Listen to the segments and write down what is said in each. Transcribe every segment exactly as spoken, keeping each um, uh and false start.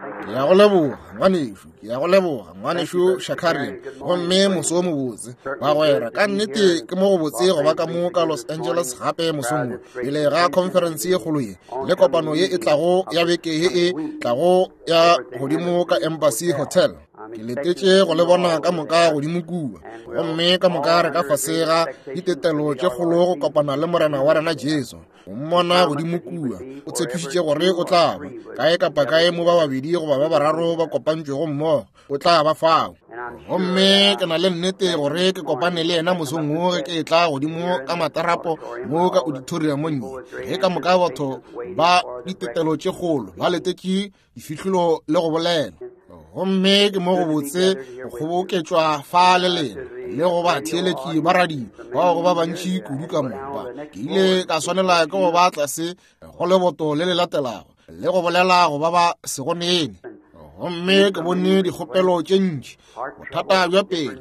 Ke ya go leboga ngwanešu, ke ya go leboga ngwanešu Shakarian. Gomme moso o mobotse bagwera, ka nnete ke mo go botse go ba ka mo ka Los Angeles gape mosong wo, pele ga conference ye kgolo ye le kopano ye e tlago ya beke ye e tlago ya godimo ka Embassy Hotel. Ke letetše go le bona ka moka godimo kua, gomme ka moka re ka fase ga ditetelo tše kgolo go kopana le Morena wa rena Jesu. O mmona godimo kua, o tshepišitše gore o tla ba kae kapa kae mo ba babedi goba ba bararo ba kopantšwego mmogo, o tla ba fao. Gomme ke na le nnete gore ke kopane le yena mosong wo ge ke etla godimo ka matarapo mo ka auditoriumong ye, ge ka moka batho ba ditetelo tše kgolo ba letetše difihlolo le go bolela. Gomme ke mo go botse go kgoboketšwa fa le lena le go ba theeletši ba radio bao go ba bantši kudu ka moka. Ke ile ka swanela ke go ba tlase go leboto le le latelago le go bolela go ba ba sego nene. Gomme ke bone dikgopelo tše ntši, bothata bja pele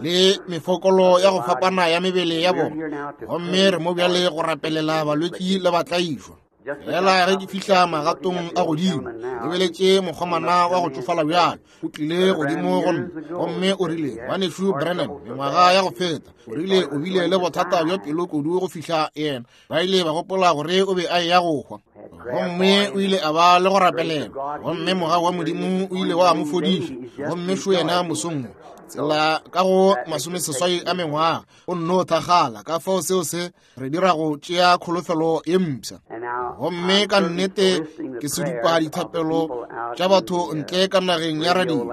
le mefokolo ya go fapana ya mebele ya bona. Gomme re mo bjale go rapelela balwetši le batlaišwa. Fela ge ke fihla magatong a godimo, lebeletše mokgomana wa go tšofala bjalo o tlile godimo go nna, gomme o rile, ngwanešu Branham, mengwaga ya go feta, o rile o bile le bothata bja pelo kudu go fihla yena ba ile ba gopola gore o be a eya go hwa. Gomme o ile a ba le go rapelela, gomme mogau wa Modimo o ile wa mo fodiša. Gomme šo yena mosong wo, tsela ka go masomeseswai a mengwaga, o nno thakgala. Ka fao seo se re dira go tšea kholofelo ye mpsha. Gomme ka nnete ke sedupa dithapelo tša batho ntle ka nageng ya radio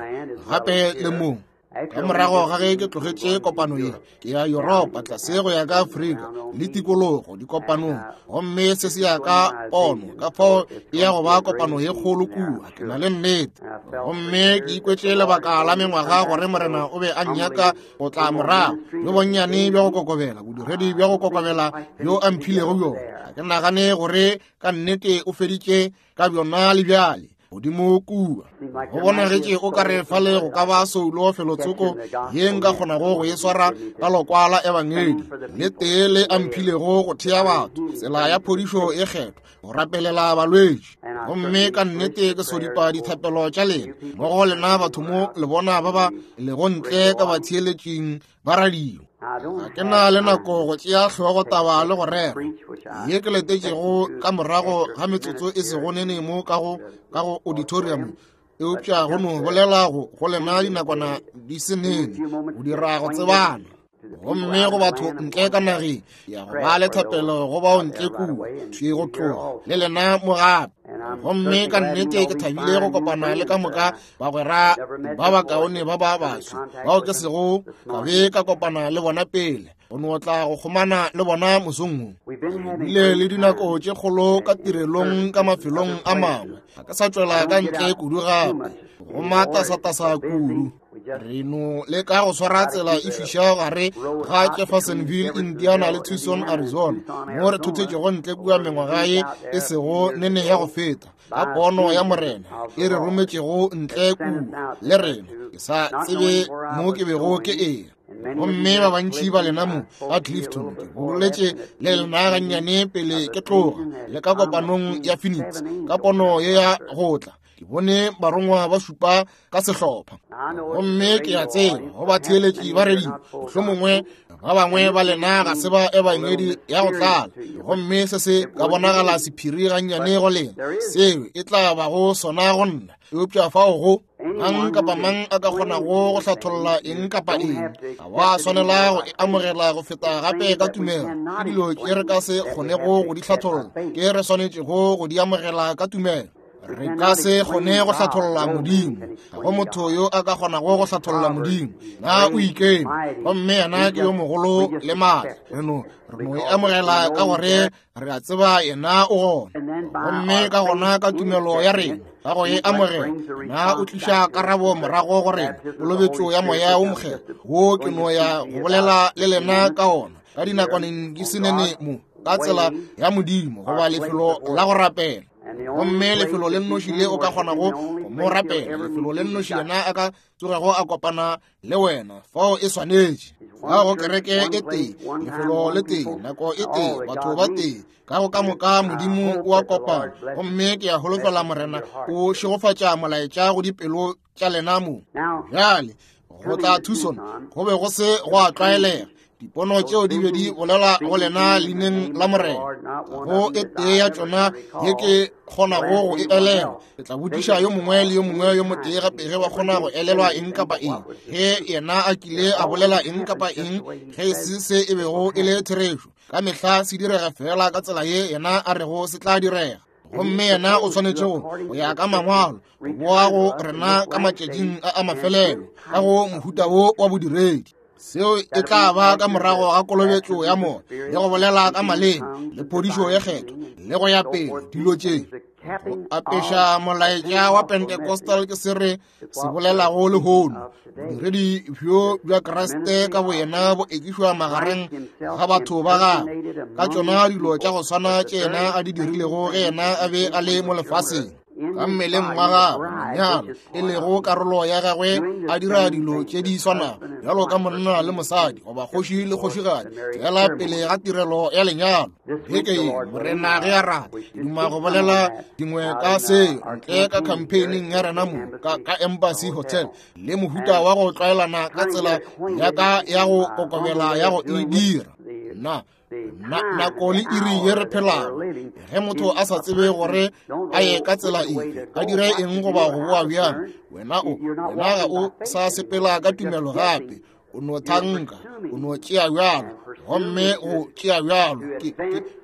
gape le mo. Ka morago ga ge ke tlogetše kopano ye, ke ya Yuropa tlase go ya ka Afrika le tikologo dikopanong, gomme se se ya ka pono, ka fao e ya go ba kopano ye kgolo kua, ke na le nnete. Gomme ke ikwetše lebaka la mengwaga gore Morena o be a nnyaka go tla morago, le bonnyane bja go kokobela, bodiredi bja go kokobela bjo a mphilego bjona. Ga ke nagane gore ka nnete o feditše ka bjona le bjale godimo kua. Go bonagetše o ka re fale go ka ba soulo felotsoko ye nka kgonago go e swara ka lokwa la ebangedi le tee le a mphilego go thea batho tsela ya phodišo e kgethwa, go rapelela balwetši. Gomme ka nnete ke sodipa dithapelo tša lena mmogo lena batho mo le bona ba ba lego ntle ka batheeletšing ba radio. Ga ke na le nako go tšea hlogo taba le go rera ye ke letetšego ka morago ga metsotso e sego nene mo ka go ka go auditorium, eupša go no bolela go go lena dinakwana di se nene go dira go tsebana. Gomme go batho ntle ka nageng ya go ba le thapelo go bao ntle kua thwi go tloga le lena mo gape. Gomme ka nnete ke thabile go kopana le ka moka bagwera ba bakaone ba ba baso bao ke sego ka be ka kopana le bona pele, go no tla go kgomana le bona mosong wo. Re bile le dinako tše kgolo ka tirelong ka mafelong a mangwe, ga ke sa tšwela ka ntle kudu gape, go matasatasa kudu. Re no leka go swara tsela e fiša gare ga Jeffersonville, Indiana le Tucson, Arizona, mo re thothetšego ntle kua mengwaga ye e sego nene ya go feta, ka pono ya Morena e re rometšego ntle kua le rena. Ke sa tsebe mo ke bego ke eya. Gomme ba bantši ba lena mo ka Clifton, ke boletše le lena gannyane pele ke tloga le ka kopanong ya Phoenix, ka pono ye ya go tla. Ke bone barongwa ba šupa ka sehlopha. Gomme ke a tseba go batheeletši ba radio, mohlomongwe ba bangwe ba lena ga se ba ebangedi ya go tlala, gomme se se ka bonagala sephiri gannyane go lena, seo e tla bago sona go nna. Eupša fao go mang kapa mang a ka kgonago go hlatholla eng kapa eng, ga wa swanela go e amogela go feta gape ka tumelo. Ke dilo tše re ka se kgonego go di hlatholla, ke re swanetšego go di amogela ka tumelo. Re ka se kgone go hlatholla Modimo. Ga go motho yo a ka kgonago go hlatholla Modimo. Na o ikeme, gomme yena ke yo mogolo le maatla. Re no re no e amogela ka gore re a tseba yena o gona. Gomme ka gona ka tumelo ya rena ka go e amogela, na o tliša karabo morago go rena, kolobetšo ya Moya wo Mokgethwa wo ke no ya go bolela le lena ka ona ka dinakwaneng di se nene mo, ka tsela ya Modimo goba lefelo la go rapela. Gomme lefelo le nnoši le o ka kgonago go mo rapela, lefelo le nnoši yena a ka tsogego a kopana le wena, fao e swanetše. Ka go kereke e tee, lefelo le tee, nako e tee, batho ba tee, ka go ka moka Modimo o a kopana. Gomme ke a holofela Morena o šegofatša molaetša go dipelo tša lena mo. Bjale go tla Tucson go be go se go a tlwaelega. Dipono tšeo di be di bolela go lena leineng la Morena. Go e tee ya tšona ye ke kgonago go e elelwa. Ke tla botšiša yo mongwe le yo mongwe yo motee gape ge ba kgona go elelwa eng kapa eng, ge yena a kile a bolela eng kapa eng ge e se se e bego e le therešo. Ka mehla se direga fela ka tsela ye yena a rego se tla direga. Gomme yena o swanetše go go ya ka mangwalo go boa go rena ka matšatšing a a mafelelo ka go mohuta wo wa bodiredi. Seo e tla ba ka morago ga kolobetšo ya moya le go bolela ka maleme le phodišo ye kgethwa le go ya pele dilo tše. Go apeša molaetša wa Pentecostal ke se re se bolelago lehono. Bodiredi bjo bja Kriste ka boyena bo ekišwa magareng ga batho ba gagwe ka tšona dilo tša go swana tše yena a di dirilego ge yena a be a le mo lefaseng. Ka mmeleng wa gagwe monyalo e lego karolo ya gagwe a dira dilo tše di swanago bjalo ka monna le mosadi goba kgoši le kgošigadi fela pele ga tirelo ya lenyalo. Beke ye Morena ge a rata duma go bolela dingwe ka seo ntle ka campaigning ya rena mo ka, ka Embassy Hotel le mohuta wa go tlwaelana ka tsela ya ka ya go kokobela ya go e dira. Na na nako le iri ye re phelago, ge motho a sa tsebe gore a ye ka tsela efe, a dire eng goba go boa bjang, wena o wena ga o sa sepela ka tumelo gape, o no thanka, o no tšea bjalo, gomme go tšea bjalo ke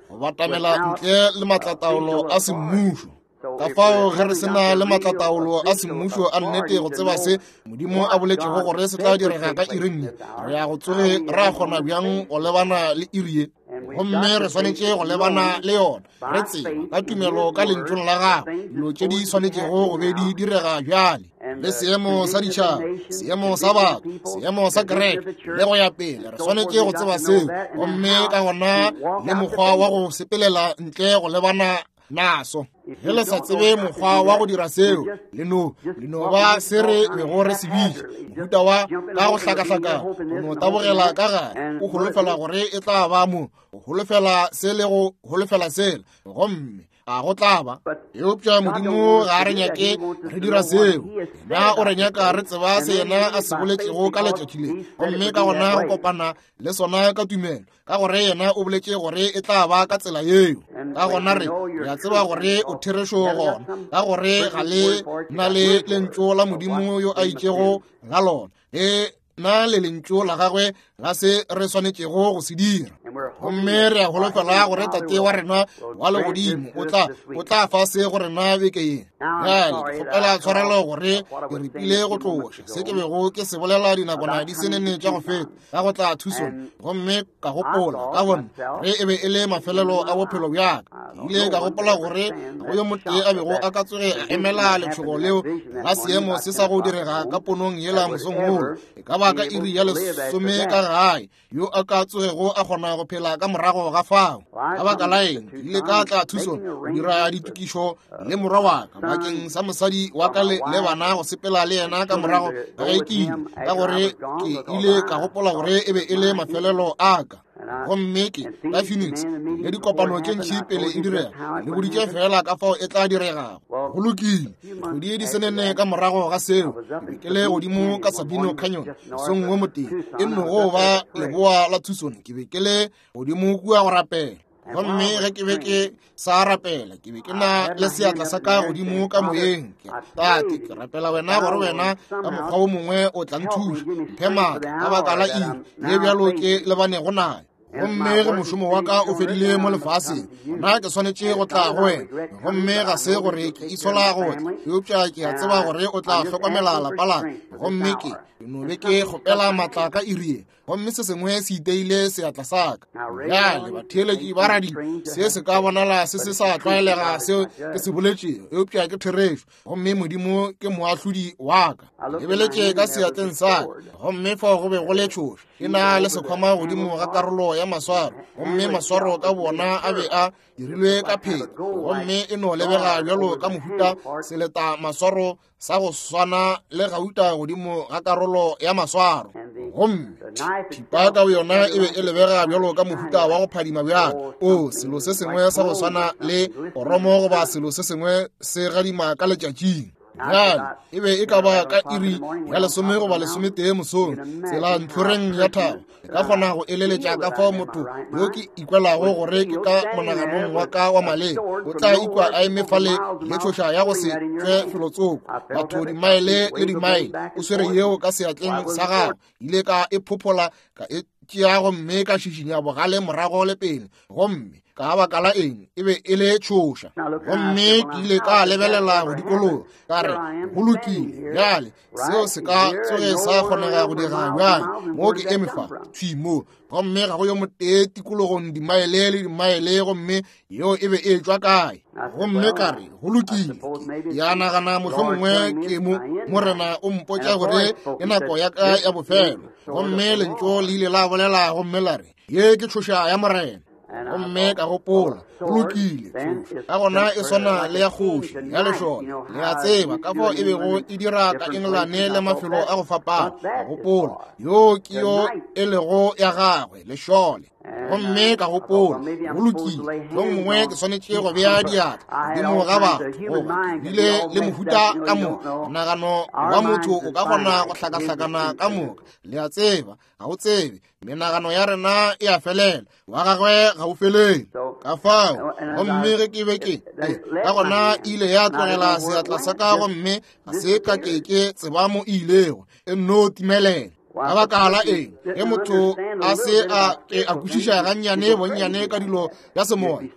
go batamela ntle le matlataolo a semmušo. Ka fao ge re sena le matlataolo a semmušo a nnete go tseba se Modimo a boletšego gore se tla direga ka iring ye, re ya go tsoge ra kgona bjang go lebana le iri ye? Gomme re swanetše go lebana le yona re tseba ka tumelo ka lentšong la gagwe dilo tše di swanetšego go be di direga bjale, le seemo sa ditšhaba, seemo sa batho, seemo sa kereke le go ya pele. Re swanetše go tseba seo, gomme ka gona le mokgwa wa go sepelela ntle go lebana naso. Ge le sa tsebe mokgwa wa go dira seo, le no le no ba se re bego re se bitša mohuta wa ka go hlakahlakana, go no tabogela ka gare o holofela gore e tla ba mo, o holofela se le go holofela sela, gomme a go tla ba. Eupša Modimo ga a re nyake re dira seo. Yena o re nyaka re tseba se yena a se boletšego ka letšatši le, gomme ka gona go kopana le sona ka tumelo, ka gore yena o boletše gore e tla ba ka tsela yeo. Ka gona re re a tseba gore o therešo gona, ka gore ga le na le lentšu la Modimo yo a itšego la lona, le na le lentšu la gagwe la se re swanetšego go se dira. Gomme re a holofela gore Tate wa rena wa legodimo o tla o tla fa se go rena beke ye. Bjale ke kgopela tshwarelo gore ke repile go tloša se ke bego ke se bolela dinakwana di se nene tša go feta ka go tla Tucson, gomme ka gopola ka gona ge e be e le mafelelo a bophelo bja ka. Ke ile ka gopola gore go yo motee a bego a ka tsoge a emela letšhogo leo la seemo se sa go direga ka ponong yela mosong woo, e ka ba ka iri ya lesome ka gae, yo a ka tsogego a kgona go phela ka morago ga fao. Ka baka la eng ke ile ka tla Tucson go dira ditokišo le morwa wa ka bakeng sa mosadi wa ka le bana go sepela le yena ka morago ga ge ke ile, ka gore ke ile ka gopola gore e be e le mafelelo a ka. Gomme ke ka Phoenix le dikopano tše ntši pele e direga, le boditše fela ka fao e tla diregago. Go lokile, kgwedi di senene ka morago ga seo, ke be ke le godimo ka Sabino Canyon mosong wo motee, e nnogo ba leboa la Tucson. Ke be ke le godimo kua go rapela, gomme ge ke be ke sa rapela, ke be ke na le seatla sa ka godimo ka moyeng. Ke Tate, ke rapela wena gore wena ka mokgwa o mongwe o tla nthuša, mphe maatla ka baka la iri ye bjalo ke lebanego nayo. Gomme ge mošomo wa ka o fedile mo lefaseng, nna ke swanetše go tla go wena. Gomme ga se gore ke itshola go tla, eupša ke a tseba gore o tla hlokomela lapa la ka. Gomme ke no be ke kgopela maatla ka iri ye, gomme se sengwe se iteile seatla sa ka. Bjale batheeletši ba radio, se se ka bonala se se sa tlwaelega seo ke se boletšego, eupša ke therešo, gomme Modimo ke moahlodi wa ka. Lebeletše ka seatleng sa ka, gomme fao go be go le tšhoša e na le sekhwama godimo ga karolo ya maswaro, gomme maswaro ka bona a be a dirilwe ka pheta, gomme e no lebega bjalo ka mohuta seleta maswaro sa go swana le gauta godimo ga karolo ya maswaro. Gomme thipa ka yona e be e lebega bjalo ka mohuta wa go phadima bjalo, o selo se sengwe sa go swana le oromo goba selo se sengwe se gadima ka letšatšing. Bjale e be e ka ba ka iri ya lesome goba lesometee mosong, tsela ntlhoreng ya thaba. E ka kgona go eleletša ka fao motho yo ke ikwelago gore ke ka monaganong wa ka wa maleba o tla ikwa a eme fale le tšhoša ya go se tšwe felotsoko, batho dimaele le dimaele, o swere yeo ka seatleng sa gagwe. Ile ka e phophola, ka e tšea gomme ka šišinya bogale morago le pele, gomme ka baka la eng e be e le tšhoša. Gomme ke ile ka lebelela go dikologa, ka re, go lokile, bjale seo se ka tsoge sa kgonega go dira bjang? Mo ke eme fa thwi mo, gomme ga go yo motee tikologong dimaele le dimaele, gomme yeo e be e tšwa kae? Gomme ka re, go lokile, ya nagana mohlomongwe ke mo Morena o mpotša gore ke nako ya ka ya bofelo. Gomme lentšu le ile la bolela gomme la re, ye ke tšhoša ya Morena. Gomme ka gopola, go lokile, ka gona e swana le ya kgoši ya lešole. Le a tseba ka fao e bego e dira ka Engelane le mafelo a go fapana. Ka gopola, yo ke yo e lego ya gagwe, lešole. Gomme ka gopola, go lokile, yo mongwe ke swanetše go bea diatla godimo ga batho, goba ke bile le mohuta ka moka. Monagano wa motho o ka kgona go hlakahlakana ka moka. Le a tseba, ga o tsebe, menagano ya rena e a felela, wa gagwe ga o felele. Ka fao, gomme ge ke be ke, ka gona e ile ya tlogela seatla sa ka, gomme ga se ka ke ke tseba mo e ilego, e nno timelela. Ka baka la eng ge motho a se a ke a kwešiša gannyane bonnyane ka dilo ya semoya,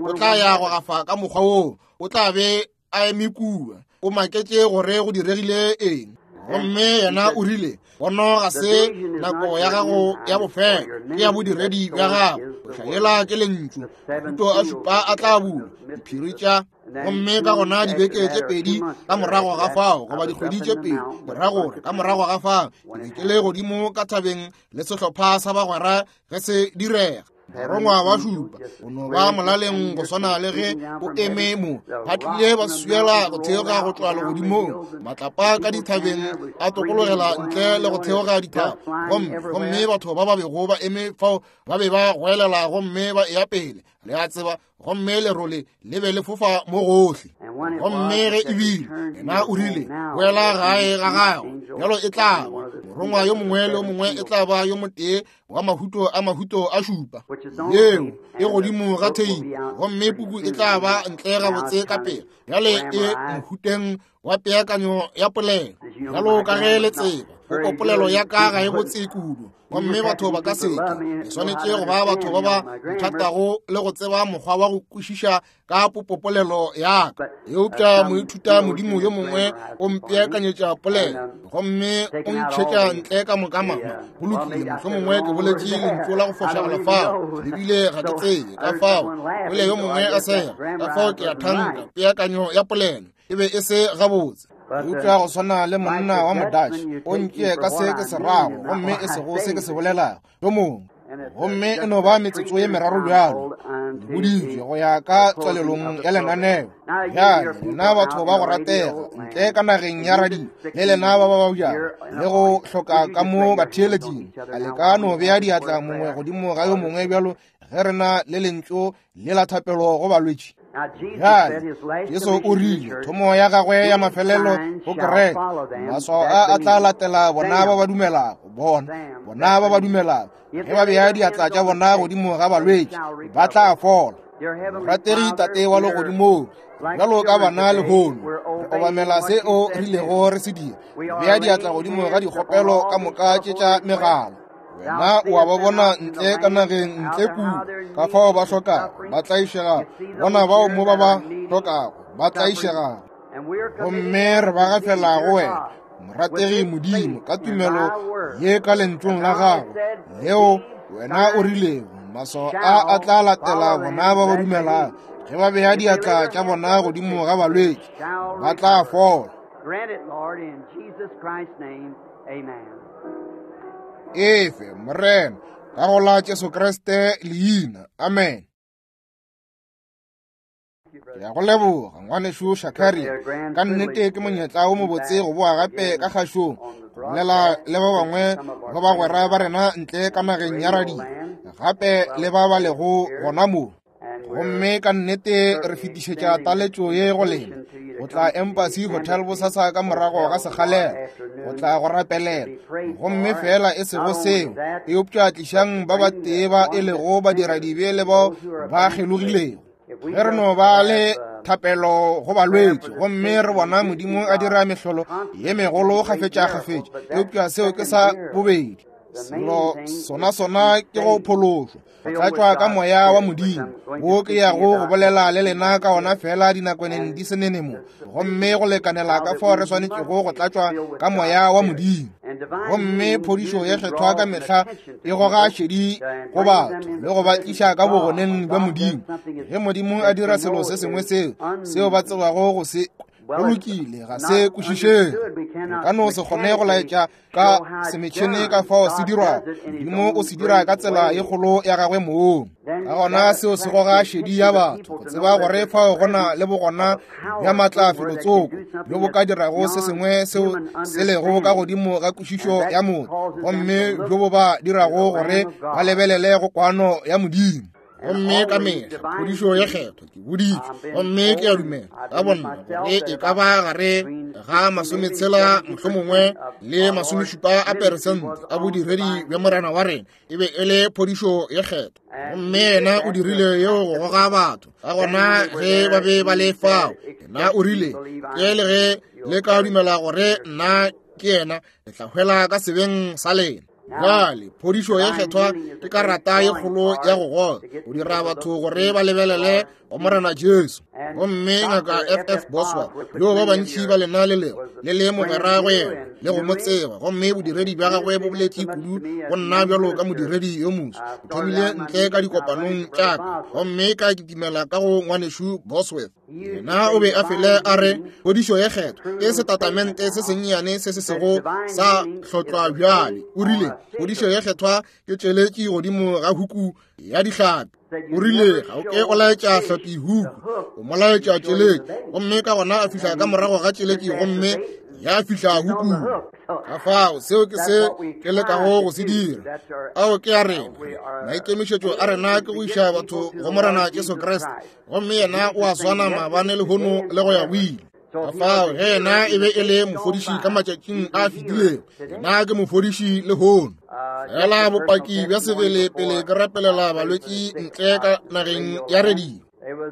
o tla ya go gafa ka mokgwa woo, o tla be a eme kua, o maketše gore go diregile eng. Gomme yena o rile, pono ga se nako ya gago ya bofelo, ke ya bodiredi bja gago. Bohlayela ke lentšu, mahuto a šupa a tla bulwa, diphiri tša. Gomme ka gona dibeke tše pedi ka morago ga fao, goba dikgwedi tše pedi ke ra gore ka morago ga fao, ke be ke le godimo ka thabeng le sehlopha sa bagwera ge se direga. Barongwa ba šupa o no ba molaleng go swana le ge o eme mo, ba tlile ba swiela go theoga go tšwa legodimong, matlapa ka dithabeng a tokologela ntle le go theoga dithaba. Gomme gomme batho ba ba bego ba eme fao ba be ba goelela gomme ba eya pele, le a tseba, gomme lerole le be le fofa mo gohle. Gomme ge e bile yena o rile, boela gae ga gago, bjalo e tla ba morongwa yo mongwe le yo mongwe e tla ba yo motee wa mahuto a mahuto a šupa, yeo e godimo ga theipi, gomme puku e tla ba ntle gabotse ka pele. Bjale e mohuteng wa peakanyo ya polelo, bjalo ka ge le tseba, popopolelo ya ka ga e botse kudu, gomme batho ba ka seke. E swanetše go ba batho ba ba nthatago le go tseba mokgwa wa go kwešiša ka popopolelo ya ka. Eupša moithuta modimo yo mongwe o mpeakanyetša polelo, gomme o ntšhetša ntle ka moka mama. Go lokile, mohlomongwe ke boletše lentšu la go fošagala fao, lebile ga ke tsebe ka fao. Ole yo mongwe a sega, ka fao ke a thanka peakanyo ya polelo e be e se gabotse. Eupša go swana le monna wa Modatšhe, o ntšee ka se ke se rago, gomme e sego se ke se bolelago, yo mongwe. Gomme e no ba metsotso ye meraro bjalo, le boditšwe go ya ka tswalelong ya lenaneo. Bjale lena batho ba go ratega ntle ka nageng ya radio, le lena ba ba babjago le go hloka ka mo batheeletšing, a le ka no bea diatla mongwe godimo ga yo mongwe bjalo ge re na le lentšu le la thapelo go balwetši? Bjale Jesu o rile thomo ya gagwe ya mafelelo go kereke, maswao a a tla latela bona ba ba dumelago, bona bona ba ba dumelago, ge ba bea diatla tša bona godimo ga balwetši ba tla fola. Morategi Tate wa legodimong, bjalo ka bana lehono re obamela se o rilego re se dira, bea diatla godimo ga dikgopelo ka moka tše tša megala. Wena o a ba bona ntle ka nageng ntle kua, ka fao ba hlokago, ba tlaišegago, bona bao mo ba ba hlokago, ba tlaišegago. Gomme re ba gafela go wena, morategi Modimo, ka tumelo ye ka lentšung la gago leo wena o rilego, maswao a a tla latela bona ba ba dumelago, ge ba bea diatla tša bona godimo ga balwetši ba tla fola. Efe, Morena, Ka go la Jesu Kriste leina. Amen. Ke a go leboga ngwanešu Shakari. Ka nnete ke monyetla o mobotse go boa gape ka kgašong, go bolela le ba bangwe ba bagwera ba rena ntle ka nageng ya radio, gape le ba ba lego gona mo. Gomme ka nnete re fetišetša taletšo ye go lena go tla Embassy Hotel bosasa ka morago ga sekgalela, go tla go rapelela. Gomme fela e sego seo, eupša tlišang ba batee ba e lego badiradibe le bao ba kgelogilego. Ge re no ba le thapelo go balwetši, gomme re bona Modimo a dira mehlolo ye megolo kgafetša-kgafetša, eupša seo ke sa bobedi. Selo sona sona ke go phološwa, go tlatšwa ka moya wa Modimo, wo ke yago go bolela le lena ka ona fela dinakwaneng di se nene mo, gomme go lekanela ka fao re swanetšego go tlatšwa ka moya wa Modimo. Gomme phodišo ye kgethwa ka mehla e goga šedi go batho le go ba tliša ka bogoneng bja Modimo. Ge Modimo a dira selo se sengwe seo seo ba tsebago go se go lokile, ga se kwešišege. Re ka no se kgone go laetša ka semetšhene ka fao se dirwago. Modimo o se dira ka tsela ye kgolo ya gagwe mong. Ka gona seo se goga šedi ya batho go tseba gore fao go na le bogona bja maatla felotsoko bjo bo ka dirago se sengwe seo se lego ka godimo ga kwešišo ya motho, gomme bjo bo ba dirago gore ba lebelele go kwano ya Modimo. Gomme ka mehla phodišo ye kgethwa ke boditšwe, gomme ke a dumela ka bonna gore e ka ba gare ga masometshela mohlomongwe le masomešupa a peresente a bodiredi bja Morena wa rena e be e le phodišo ye kgethwa. Gomme yena o dirile yeo go goga batho. Ka gona ge ba be ba le fao, yena o rile, ke le ge le ka dumela gore nna ke yena, le tla hwela ka sebeng sa lena. Bjale phodišo ye kgethwa ke karata ye kgolo ya go goga, go dira batho gore ba lebelele go Morena Jesu. Gomme ngaka F F Boswell, yo ba bantši ba lena le lego le le mogwera go yena le go mo tseba, gomme bodiredi bja gagwe bo boletše kudu go nna bjalo ka modiredi yo moswa. O thomile ntle ka dikopanong tša ka, gomme ka kitimela ka go ngwanešu Bosworth. Yena o be a fele a re phodišo ye kgethwa ke setatamente se sennyane se se sego sa hlotlwa bjale. O rile phodišo ye kgethwa ke tšeletši godimo ga huku ya dihlapi. O rile ga o ke o laetša hlapi huku, o mo laetša tšeletši. Gomme ka gona a fihla ka morago ga tšeletši, gomme ya fihla hukung. Ka fao seo ke se ke lekago go se dira. Ao ke a rena. Maikemišetšo a rena ke go iša batho go Morena Jesu Kriste, gomme yena o a swana maabane lehono le go ya go ile. Ka fao ge yena e be e le mofodiši ka matšatšing a fetilego, yena ke mofodiši lehono. Fela bopaki bja sebele pele ke rapelela balwetši ntle ka nageng ya radio.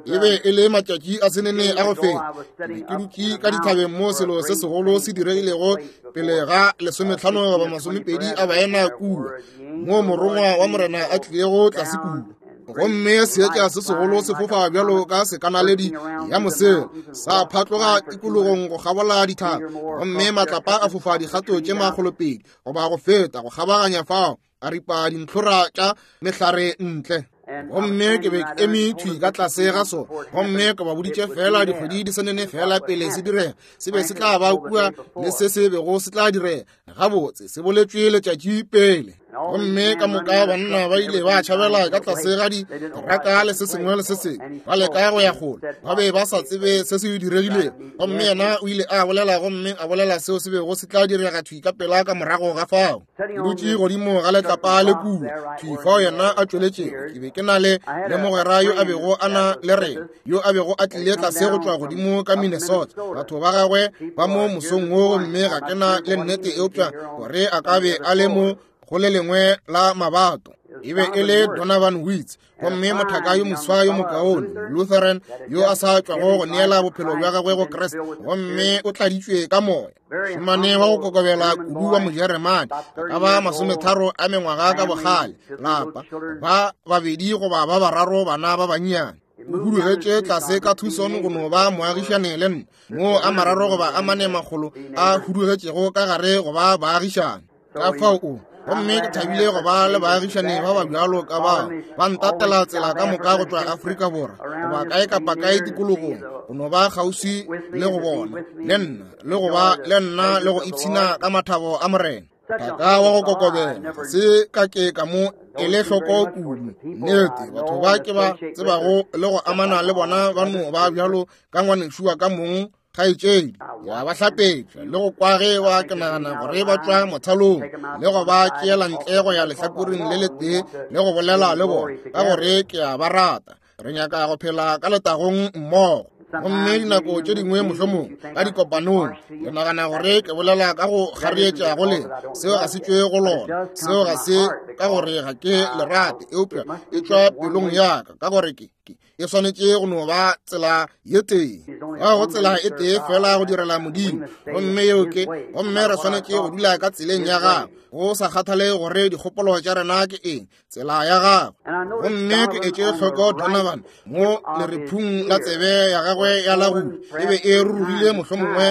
E be e le matšatši a senene a go feta, ke be ke dutše ka dithabeng mo selo se segolo se diregilego pele ga lesometlhano goba masomepedi a baena kua, mo morongwa wa Morena a tlilego tlase kua. Gomme seetša se segolo se fofa bjalo ka sekanaledi ya mosela, sa phatloga tikologong go kgabola dithaba, gomme matlapa a fofa dikgato tše makgolopedi goba go feta go kgabaganya fao, a ripa dintlhora tša mehlare ntle. Gomme ke be ke eme thwi ka tlase ga sona, gomme ke ba boditše fela dikgwedi di senene fela pele se direga, se be se tla ba kua le se se bego se tla direga. Gabotse se boletšwe letšatši pele. Gomme ka moka banna ba ile ba tšhabela ka tlase ga diteraka le se sengwe le se sengwe, ba leka go ya kgole, ba be ba sa tsebe se se diregilego. Gomme yena o ile a bolela, gomme a bolela seo se bego se tla direga thwi ka pela ka morago ga fao. Ke dutše godimo ga letlapa le kua thwi fao yena a tšweletšego. Ke be ke na le le mogwera yo a bego a na le rena, yo a bego a tlile tlase go tšwa godimo ka Minnesota. Batho ba gagwe ba mo mosong wo, gomme ga ke na le nnete eupša gore a ka be a le mo go le lengwe la mabato. E be e le Donovan Witz, gomme mothaka yo moswa yo mokaone, Lutheran, yo a sa tšwago go neela bophelo bja gagwe go Kriste, gomme o tladitšwe ka moya. Mošemane wa go kokobela kudu wa Mojeremane, a ka ba masometharo a mengwaga ka bogale, lapa ba babedi goba ba bararo bana ba bannyane. O hudugetše tlase ka Tucson go no ba moagišane le nna, moo a mararo goba a mane makgolo a hudugetšego ka gare go ba baagišane. Ka fao o gomme ke thabile go ba le baagišane ba ba bjalo ka bao ba ntatela tsela ka moka go tšwa Afrika Borwa goba kae kapa kae tikologong, go no ba kgauswi le go bona le nna le go ba le nna le go ipshina ka mathabo a Morena. Thaka wa go kokobela, se ka ke ka mo ele hloko kudu. Nnete, batho ba ke ba tsebago le go amana le bona ba no ba bjalo ka ngwanešu wa ka mong kgaetšedi. Ya ba hlapetša le go kwa ge ba ke nagana gore ba tšwa mothalong le go ba tšeela ntle go ya lehlakoreng le letee le go bolela le bona ka gore ke a ba rata. Re nyaka go phela ka letagong mmogo. Gomme dinako tše dingwe mohlomong ka dikopanong le nagana gore ke bolela ka go kgarietša go lena. Seo ga se tšwe go lona, seo ga se ka gore ga ke le rate, eupša e tšwa pelong ya ka, ka gore ke e swanetše go no ba tsela ye tee. Ga go tsela e tee fela go direla Modimo, gomme yeo ke, gomme re swanetše go dula ka tseleng ya gagwe, go sa kgathale gore dikgopolo tša rena ke eng, tsela ya gagwe. Gomme ke etše hloko Donovan mo lerephung la tsebe ya gagwe ya lagudu e be e rurugile mohlomongwe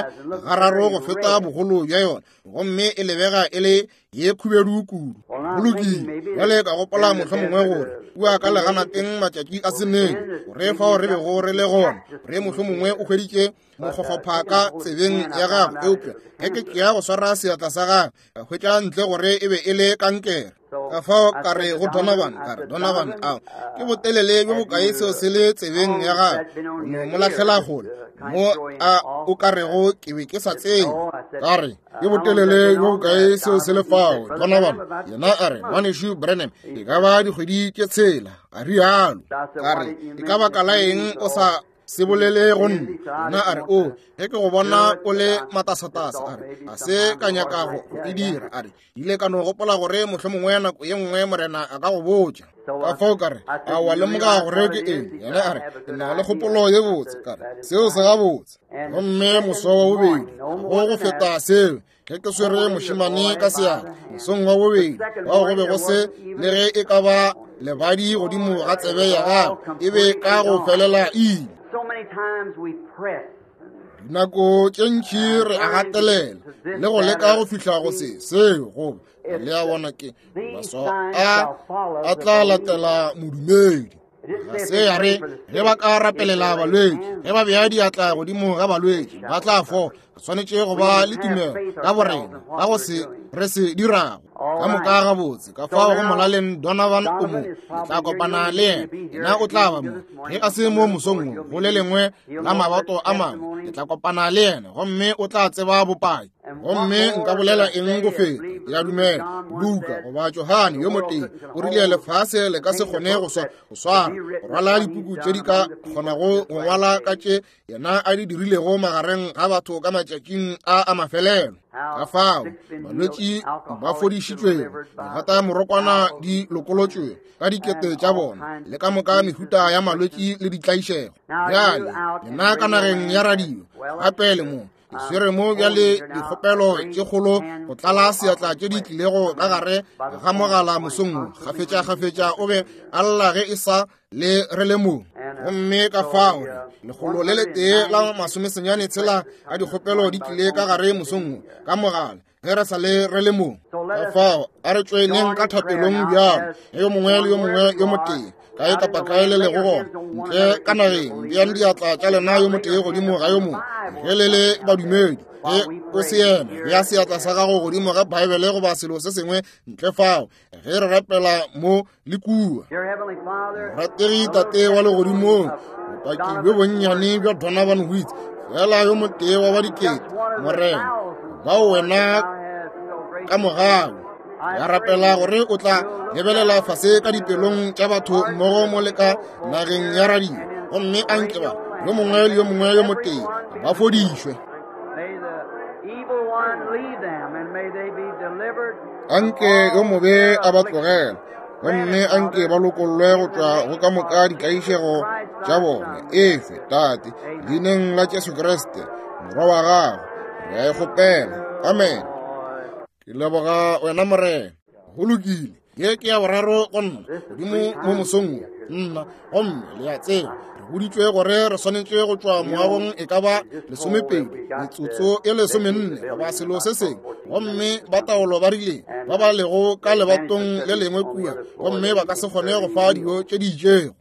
gararo go feta bogolo bja yona, gomme e lebega e le ye khubedu kudu. Go lokile, bjale ka gopola mohlomongwe gore kua ka leganateng matšatši a se nene gore fao re bego re le gona, gore mohlomongwe o hweditše mokgokgopha ka tsebeng ya gagwe, eupša ge ke tšea go swara seatla sa gagwe ka hwetša ntle gore e be e le kankere. Ka fao ka re go Donovan, ka re, Donovan, ao ke botelele bjo bokae seo se le tsebeng ya gagwe, no mo lahlela kgole mo a o ka rego ke be ke sa tsebe. Ka re, ke botelele bjo bokae seo se le fao, Donovan? Yena a re, ngwanešu Branham, e ka ba dikgwedi tše tshela, a rialo. Ka re, e ka baka la eng o sa se bolele go nna? Yena a re, o ge ke go bona o le matasatasa, a re, a se ka nyaka go e dira. A re, ile ka no gopola gore mohlomongwe nako ye nngwe Morena a ka go botša. Ka fao ka re, a wa lemoga gore ke eng? Yena a re, ke na le kgopolo ye botse. Ka re, seo se gabotse. Gomme moso wa bobedi go go feta seo, ge ke swere mošemane ka seatla mosong wa bobedi, bao go be go se le ge e ka ba lebadi godimo ga tsebe ya gagwe, e be ka go felela ile. Dinako tše ntši re a gatelela le go leka go fihla go se seo, goba le a bona ke maswao a a tla latela modumedi. Ga se ya re ge ba ka rapelela balwetši, ge ba bea diatla godimo ga balwetši ba tla fola. Re swanetše go ba le tumelo ka borena ka go se re se dirago ka moka gabotse. Ka fao go molaleng Donovan o mo, le tla kopana le yena, yena o tla ba mo. Ge a se mo mosong wo go le lengwe la mabato a mangwe, le tla kopana le yena gomme o tla tseba bopaki. Gomme nka bolela eng go feta? Ke a dumela Luka goba Johane yo motee o rile lefase le ka se kgone go swara go rwala dipuku tše di ka kgonago go ngwala ka tše yena a di dirilego magareng ga batho ka matšatšing a a mafelelo. Ka fao balwetši ba fodišitšwego, digata morokwana di lokolotšwego ka dikete tša bona, le ka moka mehuta ya malwetši le ditlaišego. Bjale lena ka nageng ya radio gape le mo ke swere mo bjale dikgopelo tše kgolo go tlala seatla tše di tlilego ka gare ga mogala mosong wo. Kgafetša-kgafetša o be a lla ge e sa le re le mo. Gomme ka fao lekgolo le letee la masomesenyane tshela a dikgopelo di tlile ka gare mosong wo ka mogala ge re sa le re le mo. Ka fao a re tšoeneng ka thapelong bjalo, yo mongwe le yo mongwe yo motee kae kapa kae le lego gona ntle ka nageng, beang diatla tša lena yo motee godimo ga yo mongwe ge le le badumedi. Ge o se yena, bea seatla sa gago godimo ga Baebele goba selo se sengwe ntle fao ge re rapela mo le kua. Morategi Tate wa legodimong, bopaki bjo bonnyane bja Donovan Woods, fela yo motee wa ba dikete, Morena, bao wena ka mogau ya rapela gore o tla lebelela fase ka dipelong tša batho mmogo mo le ka nageng ya radio, gomme a nke ba yo mongwe le yo mongwe yo motee ba fodišwe. Anke yo mobe a ba tlogela, gomme anke ba lokollwe go tšwa go ka moka ditlaišego tša bona. Efe Tate, leineng la Jesu Kriste morwa wa gago, re a e kgopela. Amen. Ke leboga wena Morena. Go lokile, ye ke ya boraro go nna godimo mo mosong wo nna, gomme le a tseba re boditšwe gore re swanetše go tšwa moagong e ka ba lesomepedi metsotso e lesomenne goba selo se sengwe, gomme ba taolo ba rile ba ba lego ka lebatong le lengwe kua, gomme ba ka se kgone go fa dijo tše di itšego.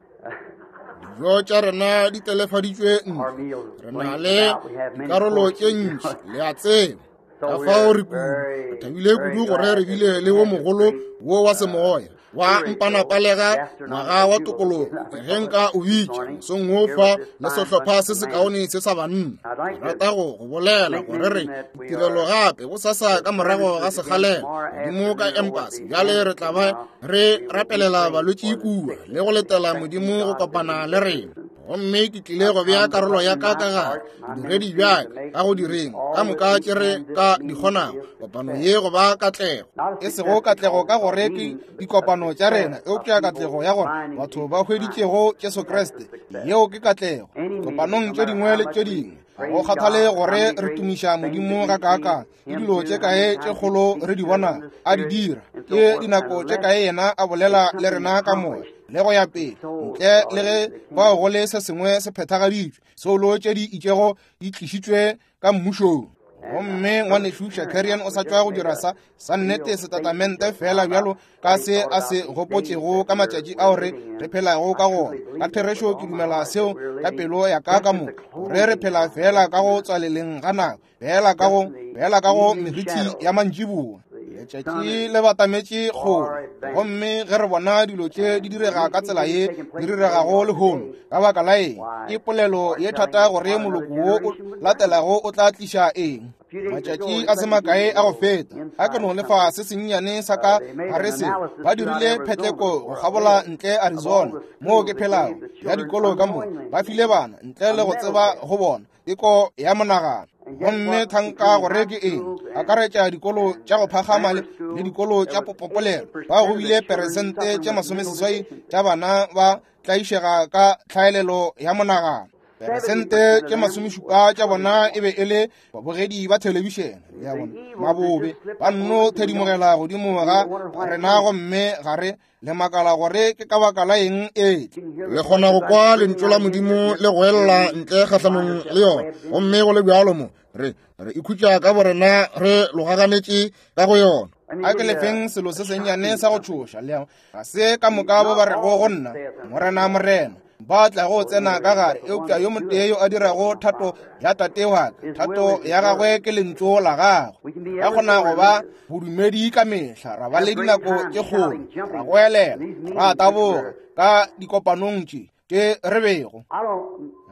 Dijo tša rena di telefaditšwe ntle, re na le dikarolo tše ntši, le a tseba. Ka fao re kudu re thabile kudu gore re bile le wo mogolo wo wa semoya wa mpanapalega ngwaga wa tokologo ge nka o bitša mosong wo fa le sehlopha se sekaone se sa banna. Ke rata go go bolela gore re tirelo gape bosasa ka morago ga sekgalela godimo ka Embassy. Bjale re tla ba re rapelela balwetši kua le go letela Modimo go kopana le rena. Gomme ke tlile go bea karolo ya ka ka gare bodiredi bja ka ka go direng ka moka tše re ka di kgonago kopano ye go ba katlego, e sego katlego ka gore ke dikopano tša rena, eupša katlego ya gore batho ba hweditšego Jesu Kriste. Yeo ke katlego. Kopanong tše dingwe le tše dingwe, go kgathale gore re tumiša Modimo ga kaakang, ke dilo tše kae tše kgolo re di bona a di dira, ke dinako tše kae yena a bolela le rena ka moya le go ya pele, ntle le ge bao go le se sengwe se phethagaditšwe, soulo tše di itšego di tlišitšwe ka mmušong. Gomme ngwanešu Shakarian o sa tšwa go dira sa sa nnete setatamente fela bjalo ka se a se gopotšego ka matšatši ao re re phelago ka gona. Ka therešo ke dumela seo ka pelo ya ka ka moka, gore re phela fela ka go tswaleleng ga nako, fela ka go fela ka go merithi ya mantšiboa. Letšatši le batametše kgole, gomme ge re bona dilo tše di direga ka tsela ye di diregago lehono, ka baka la eng ke polelo ye thata gore moloko wo o latelago o tla tliša eng. Matšatši a se makae a go feta, a ke no lefa se sennyane sa ka gare se, ba dirile phetleko go kgabola ntle Arizona moo ke phelago, ya dikolo ka moka, ba file bana ntle le go tseba go bona teko ya monagano. Gomme thanka gore ke eng, akaretša dikolo tša go phagama le dikolo tša popopolelo, ba go bile peresente tše masomeseswai tša bana ba tlaišega ka tlhaelelo ya monagano. Peresente tše masomešupa tša bona e be e le babogedi ba thelebišene ya bona mabobe, ba nno thedimogela godimo ga rena, gomme ga re le makala gore ke ka baka la eng e le kgona go kwa lentšu la Modimo le go ella ntle kgahlanong le yona. Gomme go le bjalo mo re re ikhutša ka borena re logaganetše ka go yona. A ke lefeng selo se sennyane sa go tšhoša le ga se ka moka bo ba rego go nna Morena, Morena, ba tla go tsena ka gare, eupša yo motee yo a dirago thato ya Tate wa ka, thato ya gagwe ke lentšu la gagwe. Ka kgona go ba bodumedi ka mehla, ra ba le dinako tše kgolo, ra goelela, ra taboga ka dikopanong tše tše re bego.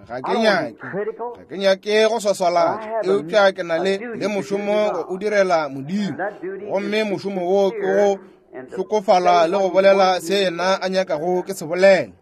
Ga ke nyake, ga ke nyake go swaswalatša, eupša ke na le le mošomo go o direla Modimo, gomme mošomo wo ke go hlokofala le go bolela se yena a nyakago ke se bolela.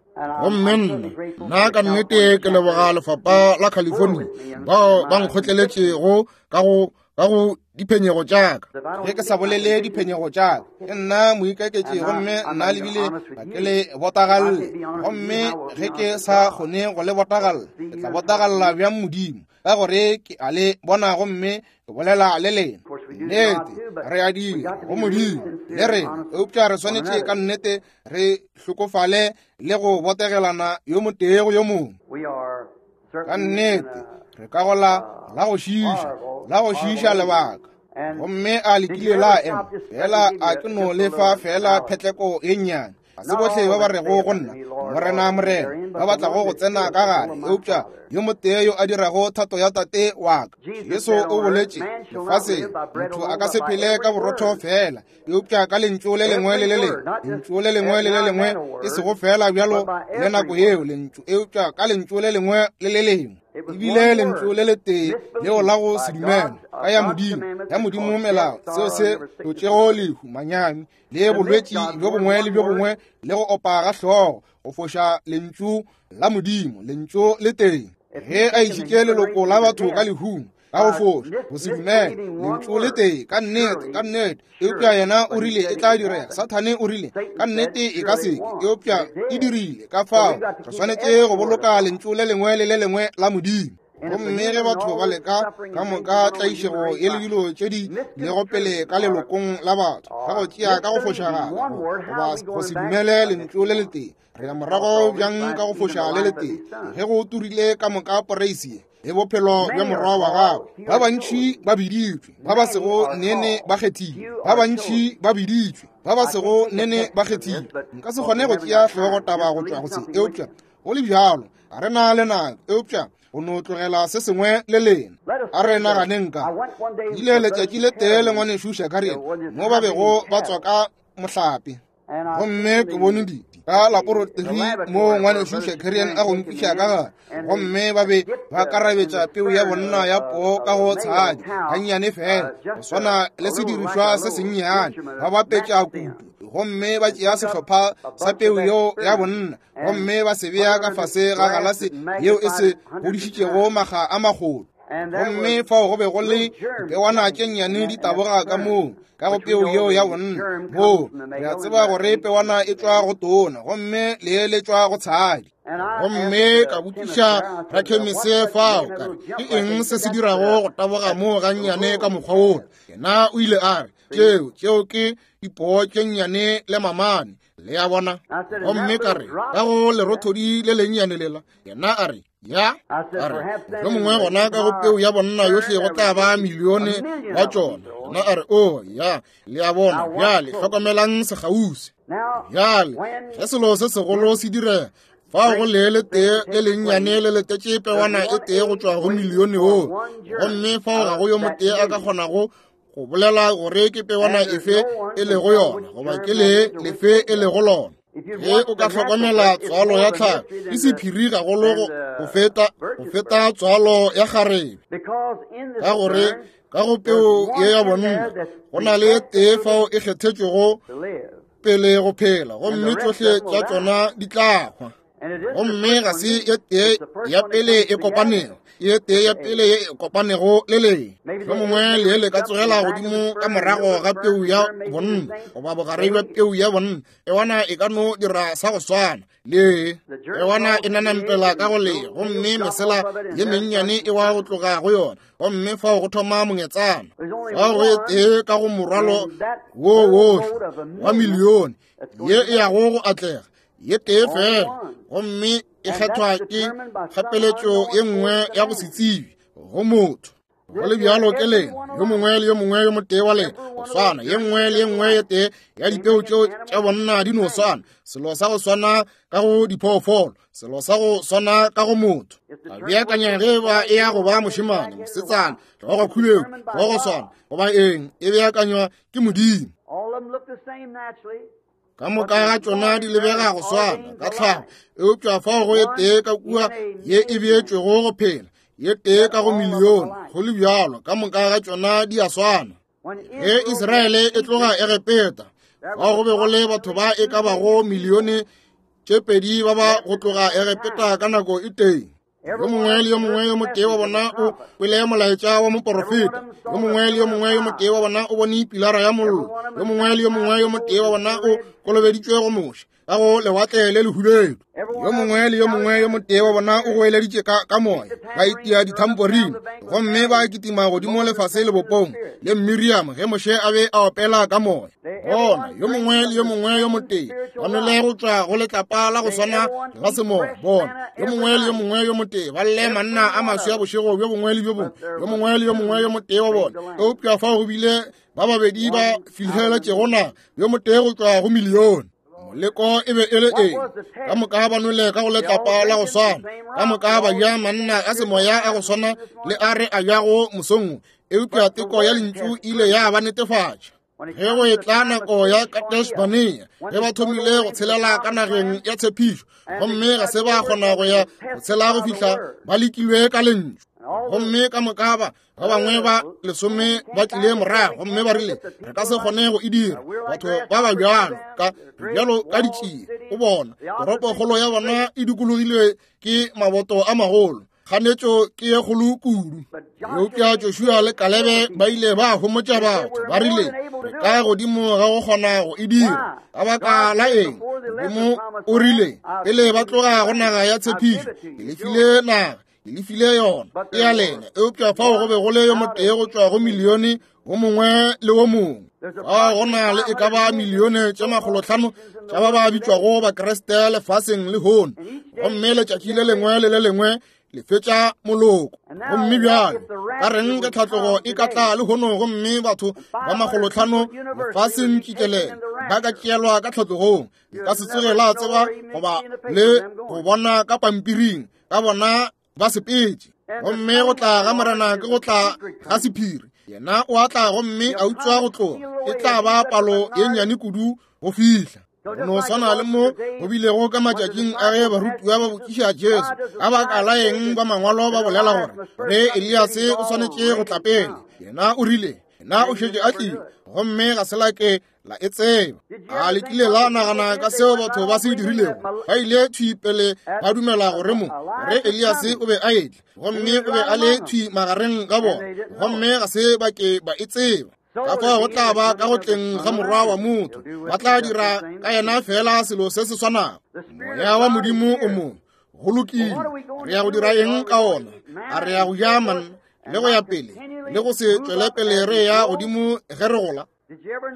Gomme nna nna ka nnete ke leboga lefapha la California bao ba nkgotleletšego ka go ka go diphenyego tša ka. Ge ke sa bolele diphenyego tša ka, ke nna moikaketši, gomme nna lebile ga ke le botagalle. Gomme ge ke sa kgone go le botagalla, ke tla botagalla bjang Modimo, ka gore ke a le bona gomme ke bolela le lena. Nnete re a dira go Modimo le rena, eupša re swanetše ka nnete re hlokofale le go botegelana yo motee go yo mongwe. Ka nnete re ka go la la go šiiša, la go šiiša lebaka. Gomme a lekile la ema fela, a ke no lefa fela phetleko ye nnyane. Ga se bohle ba ba rego go nna Morena, Morena, ba ba tlago go tsena ka gare, eupša yo motee yo a dirago thato ya Tate wa ka. Jesu o boletše lefaseng, motho a ka se phele ka borotho fela, eupša ka lentšu le lengwe le le lengwe, lentšu le lengwe le le lengwe, e sego fela bjalo le nako yeo lentšu, eupša ka lentšu le lengwe le le lengwe. Ebile lentšu le letee leo la go se dumela ka ya Modimo, ya Modimo melao, seo se hlotšego lehu, manyami le bolwetši bjo bongwe le bjo bongwe le go opa ga hlogo, go foša lentšu la Modimo, lentšu le tee. Ge a išitše leloko la batho ka lehung ka go foša, go se dumele lentšu le tee, ka nnete, ka nnete, eupša yena o rile e tla direga. Sathane o rile ka nnete e ka seke, eupša e dirile. Ka fao re swanetše go boloka lentšu le lengwe le le lengwe la Modimo. Gomme ge batho ba leka ka moka tlaišego ye le dilo tše di lego pele ka lelokong la batho, ka go tšea ka go fošagala goba go se dumele lentšu le letee, re ya morago bjang ka go foša le letee, ge go turile ka moka poreisi le bophelo bja morwa wa gagwe. Ba bantši ba biditšwe, ba ba sego nene ba kgethile. Ba bantši ba biditšwe, ba ba sego nene ba kgethile. Nka se kgone go tšea hlogo taba go tšwa go se, eupša go le bjalo ga re na le nako, eupša go no tlogela se sengwe le lena. A re naganeng ka ile letšatši le tee le ngwanešu Shakarian mo ba bego ba tswa ka mohlape. Gomme ke bone di ka laboratory mo ngwanešu Shakarian a go nkiša ka gare, gomme ba be ba karabetša peu ya bonna ya poo ka go tshadi gannyane fela, go swana le sedirišwa se sennyane, ba bapetša kutu, gomme ba tšea sehlopha sa peu yeo ya bonna gomme ba se bea ka fase ga galase yeo e se godišitšego makga a magolo. Gomme fao go be go le dipewana tše nnyane di taboga ka moo ka go peu yeo ya bonna. Moo re a tseba gore pewana e tšwa go tona gomme lee le tšwa go tshadi. Gomme ka botšiša rakhemese fao ka re, ke eng se se dirago go taboga moo gannyane ka mokgwa wola? Yena o ile a re, tšeo tšeo ke dipoo tše nnyane le mamane. Le a bona? Gomme ka re, ka go lerothodi le lennyane lela. Yena a re, ya. A re, yo mongwe gona ka go peu ya bonna yohle go tla ba milione wa tšona. Yena a re, o ya. Le a bona? Bjale hlokomelang sekgauswi. Bjale ge selo se segolo se direga, fao go lee le tee le lennyane le letetše pewana e tee go tšwa go milione woo, gomme fao ga go yo motee a ka kgonago go bolela gore ke pewana efe e lego yona goba ke lee lefe e lego lona. Ge o ka hlokomela tswalo ya tlhago, ke sephiri gagolo go feta go feta tswalo ya kgarebe, ka gore ka go peu ye ya bonna go na le tee fao e kgethetšwego pele go phela, gomme tšohle tša tšona di tla hwa. Gomme ga se ye tee ya pele e kopanego, ye tee ya pele ye e kopanego le lee. Mohlomongwe lee le ka tsogela godimo ka morago ga peu ya bonna goba bogare bja peu ya bonna. Ewana e ka no dira sa go swana lee. Ewana e nanampela ka go lee, gomme mesela ye mennyane e wa go tloga go yona, gomme fao go thoma mongetsana. Fao go e tee ka go morwalo wo wohle wa milione ye e yago go atlega, ye tee fela, gomme e kgethwa ke kgapeletšo ye nngwe ya go se tsebe go motho. Go le bjalo ke lena, yo mongwe le yo mongwe yo motee wa lena go swana, ye nngwe le ye nngwe ye tee ya dipeo tšeo tša bonna di no swana, selo sa go swana ka go diphoofolo, selo sa go swana ka go motho. A beakanya ge ba e ya go ba mošemane, mosetsana, hlogo khubedu, hlogo swana, goba eng, e beakanywa ke Modimo. Ka moka ga tšona di lebega go swana ka tlhago, eupša fao go e tee ka kua ye e beetšwego go phela, ye tee ka go milione. Go le bjalo, ka moka ga tšona di a swana. Ge Israele e tloga Egepeta, fao go be go le batho ba e ka bago milione tše pedi ba ba go tloga Egepeta ka nako e tee. Yo mongwe le yo mongwe yo motee wa bona o kwele molaetša wa moporofeta. Yo mongwe le yo mongwe yo motee wa bona o bone pilara ya mollo. Yo mongwe le yo mongwe yo motee wa bona o kolobeditšwe go Moshe ka go lewatle le lehubedu. Yo mongwe le yo mongwe yo motee wa bona o goeleditše ka, ka moya, ba itia dithamporine, gomme ba kitima godimo lefase lebopong le Miriam ge Moshe a be a opela ka moya. Bona, yo mongwe le yo mongwe yo motee ba nwele go tšwa go letlapa la go swana la semoya. Bona, yo mongwe le yo mongwe yo motee ba lle manna a maswi a bošego bjo bongwe le bjo bongwe, yo mongwe le yo mongwe yo motee wa bona. Eupša fao go bile ba babedi ba fihleletšego naga, yo motee go tšwa go milione. Moleko e be e le eng? Ka moka ba nwele ka go letlapa la go swana, ka moka ba ja manna a semoya a go swana le a re a jago mosong, eupša teko ya lentšu ile ya ba netefatša. Ge go etla nako ya Kadesh Barnea, ge ba thomile go tshelela ka nageng ya tshepišo, gomme ga se ba kgona go ya go tshela go fihla ba lekilwe ka lentšu. Gomme ka moka ba ba bangwe ba lesome ba tlile morago gomme ba rile, re ka se kgone go e dira. Batho ba ba bjalo ka bjalo ka ditšie o bona toropokgolo ya bona e dikologilwe ke maboto a magolo, kganetšo ke ye kgolo kudu. Eupša Joshua le Kalebe ba ile ba homotša batho, ba rile, re ka godimo ga go kgona go e dira. Ka baka la eng? Modimo o rile pele ba tloga go naga ya tshepišo, ke le file naga, ke le file yona, e ya lena. Eupša fao go be go le yo motee go tšwa go milione wo mongwe le wo mongwe. Fao go na le e ka ba milione tše makgolohlano tša ba ba bitšwago Bakriste lefaseng lehono, gomme letšatši le lengwe le le lengwe le fetša moloko. Gomme bjale ka reng ge tlhatlogo e ka tla lehono gomme batho ba makgolohlano lefaseng tšikelele ba ka tšeelwa ka tlhatlogong? Le ka se tsoge la tseba goba le go bona ka pampiring ka bona ba sepetše. Gomme go tla ga Morena ke go tla ga sephiri. Yena o a tla gomme a utswa go tloga. E tla ba palo ye nnyane kudu go fihla. Go no swana le mo go bilego ka matšatšing a ge barutiwa ba botšiša Jesu ka baka la eng ba mangwalo ba bolela gore re Eliase o swanetše go tla pele. Yena o rile, yena o šetše a tlile, gomme ga se la ke la e tseba. A le kile la nagana ka seo batho ba se dirilego? Ba ile thwi pele ba dumela gore mo gore Eliase o be a etla, gomme o be a le thwi magareng ga bona, gomme ga se ba ke ba e tseba. Ka fao go tla ba ka go tleng ga morwa wa motho, ba tla dira ka yena fela selo se se swanago. Moya wa Modimo o mo go lokile. Re ya go dira eng ka ona? A re ya go ja manna le go ya pele le go se tšwele pele re ya godimo ge re gola?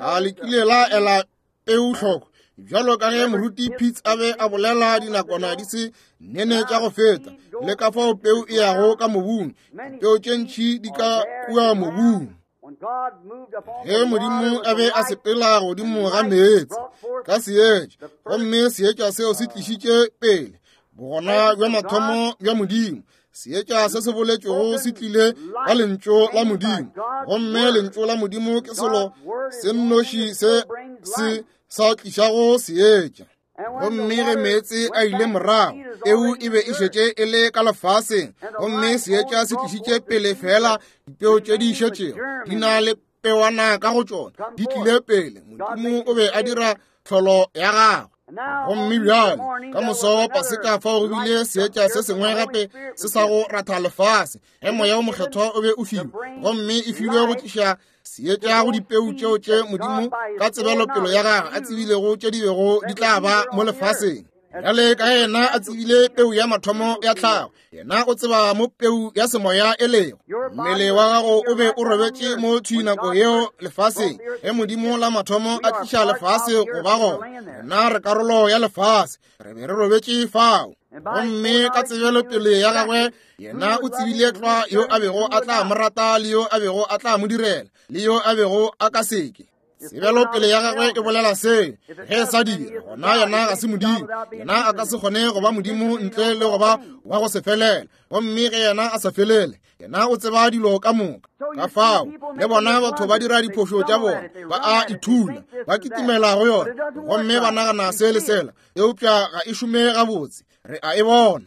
A le kile la ela peu hloko? Bjalo ka ge moruti Pitts a be a bolela dinakwana di se nene tša go feta, le ka fao peu e yago ka mobung, dipeu tše ntši di ka kua mobung. Ge Modimo a be a sepela godimo ga meetse ka seetša, gomme seetša seo se tlišitše pele bogona bja mathomo bja Modimo. Seetša se se boletšwego se tlile ka lentšu la Modimo, gomme lentšu la Modimo ke selo se nnoši se se sa tlišago seetša. Gomme ge meetse a ile morago, peu e be e šetše e le ka lefaseng, gomme seetša se tlišitše pele fela dipeu tše di šetšego di na le pewana ka go tšona, di tlile pele. Modimo o be a dira tlholo ya gagwe. Gomme bjale ka moso wa Paseka fao go bile seetša se sengwe gape se sa go ratha lefase, ge moya o mokgethwa o be o filwe, gomme e filwe go tliša seetša go dipeu tšeo tše Modimo ka tsebelopelo ya gagwe a tsebilego tše di bego di tla ba mo lefaseng. Bjale ka yena a tsebile peu ya mathomo ya tlhago, yena o tseba mo peu ya semoya e lego. Mmele wa gago o be o robetše mo thwi nako yeo lefaseng, ge Modimo la mathomo a tliša lefase go ba gona. Rena re karolo ya lefase, re be re robetše fao. Gomme ka tsebelopele ya gagwe, yena o tsebile tlwa yo a bego a tla mo rata le yo a bego a tla mo direla le yo a bego a ka seke. Tsebelopele ya gagwe e bolela se. Ge e sa dira, gona yena ga se Modimo. Yena a ka se kgone go ba Modimo ntle le go ba wa go se felela. Gomme ge yena a sa felele, yena o tseba dilo ka moka. Ka fao le bona batho ba dira diphošo tša bona, ba a ithula, ba kitimela go yona, gomme ba nagana se le sela, eupša ga e šome gabotse. Re a e bona.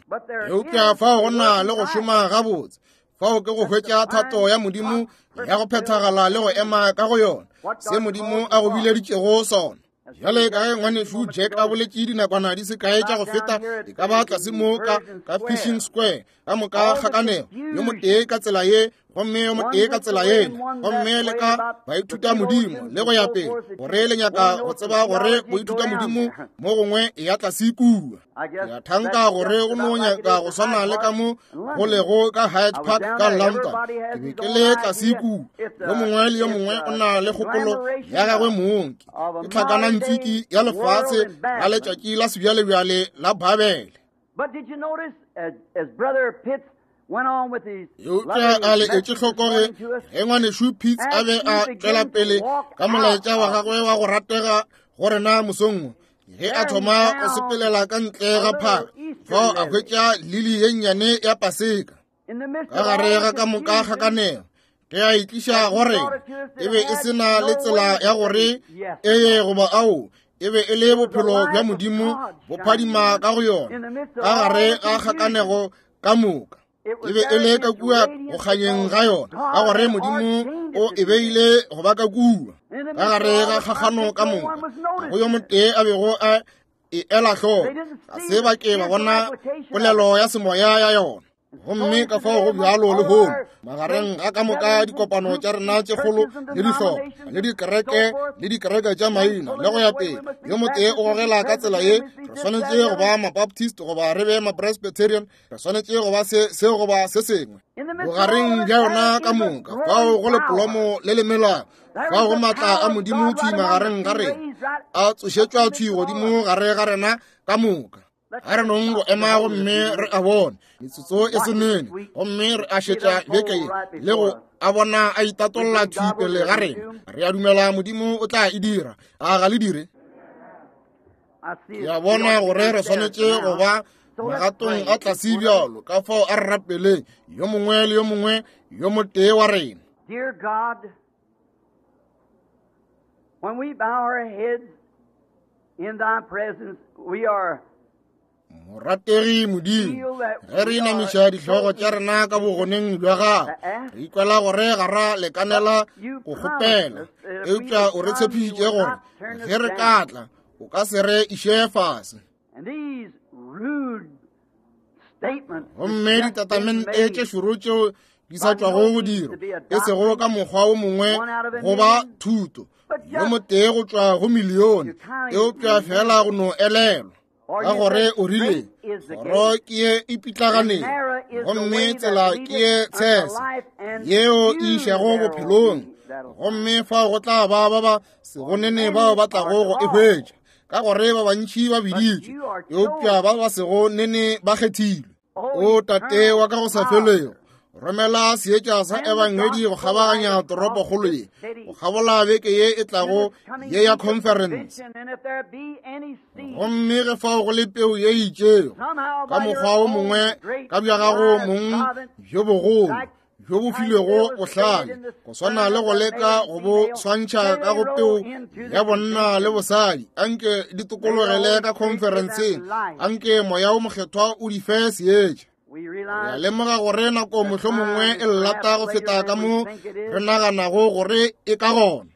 Eupša fao go na le go šoma gabotse. Fao ke go hwetša thato ya Modimo ya go phethagala le go ema ka go yona, se Modimo a go bileditšego sona. Bjale ka ge ngwanešu Jack a boletše dinakwana di se kae tša go feta, e ka ba tlase mo ka ka Fishing Square, ka moka kgakanego, yo motee ka tsela ye gomme yo motee ka tsela yela, gomme le ka baithuta Modimo le go ya pele, gore le nyaka go tseba gore boithuta Modimo mo gongwe e ya tlase kua. Ke a thanka gore go no nyaka go swana le ka mo go lego ka Hyde Park ka London. Ke be ke le tlase kua, yo mongwe le yo mongwe o na le kgopolo ya gagwe mong. Ke tlhakanantswiki ya lefase la letšatši la sebjalebjale la Babele. Eupša a le etše hloko ge ge ngwanešu Pitts a be a tšwela pele ka molaetša wa gagwe wa go ratega go rena mosong wo, ge a thoma go sepelela ka ntle ga phaka, fao a hwetša lili ye nnyane ya Paseka ka gare ga ka moka kgakanego. Ge a e tliša go rena, e be e se na le tsela ya gore ee goba ao, e be e le bophelo bja Modimo bo phadima ka go yona ka gare ga kgakanego ka moka. E be e le ka kua go kganyeng ga yona, ka gore Modimo o e beile go ba ka kua ka gare ga kgakgano ka moka. Go yo motee a bego a e ela hloko, ga se ba ke ba bona polelo ya semoya ya yona. Gomme ka fao go bjalo lehono, magareng ga ka moka dikopano tša rena tše kgolo le dihlopha le dikereke le dikereke tša maina le go ya pele, yo motee o gogela ka tsela ye, re swanetše go ba Mabaptist goba re be Mapresbyterian, re swanetše go ba se se goba se sengwe. Bogareng bja yona ka moka, fao go le polomo le le melago, fao go maatla a Modimo thwi magareng ga rena, a tsošetšwa thwi godimo gare ga rena ka moka. A re nong go ema gomme re a bone metsotso e se nene, gomme re a šetša beke ye le go a bona a itatolla thwi pele ga rena. Re a dumela Modimo o tla e dira. A ga le dire? Ke a bona gore re swanetše go ba magatong a tlase bjalo, ka fao a re rapeleng yo mongwe le yo mongwe yo motee wa rena. Dear God, when we bow our heads Morategi Modimo, ge re inamiša dihlogo tša rena ka bogoneng bja gago, re ikwela gore ga ra lekanela go kgopela, eupša o re tshepišitše gore ge re ka tla o ka se re iše fase. Gomme ditatamente tše šoro tšeo di sa tšwago go dirwa, e sego ka mokgwa o mongwe goba thuto yo motee go tšwa go milione, eupša fela go no elelwa ka gore o rile kgoro ke ye e pitlaganeng gomme tsela ke ye tshese yeo e išago bophelong, gomme fao go tla ba ba ba sego nene bao ba tlago go e hwetša, ka gore ba bantši ba biditšwe, eupša ba ba sego nene ba kgethilwe. O Tate wa ka go sa felego, romela seetša sa ebangedi go kgabaganya toropokgolo ye, go kgabola beke ye e tlago ye ya conference. Gomme ge fao go le peu ye itšego ka mokgwa o mongwe ka bja gago mong bjo bogolo bjo bo filwego bohlale, go swana le go leka go bo swantšha ka go peu ya bonna le bosadi, anke di tokologele ka conferenceng, anke moya o mokgethwa o di fe seetša. Re a lemoga gore nako mohlomongwe e llata go feta ka mo re naganago gore e ka gona.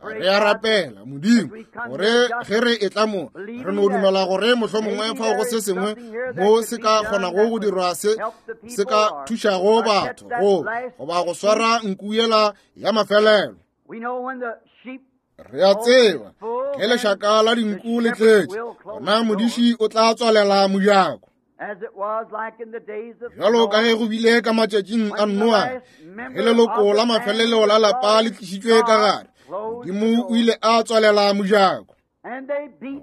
Re a rapela Modimo gore ge re etla mo re no dumela gore mohlomongwe fao go se sengwe mo se ka kgonago go dirwa se se ka thušago batho go goba go swara nku yela ya mafelelo. Re a tseba ge lešaka la dinku le tletše, gona modiši o tla tswalela mojako. Bjalo ka ge go bile ka matšatšing a Noa, ge leloko la mafelelo la lapa le tlišitšwe ka gare, Modimo o ile a tswalela mojako.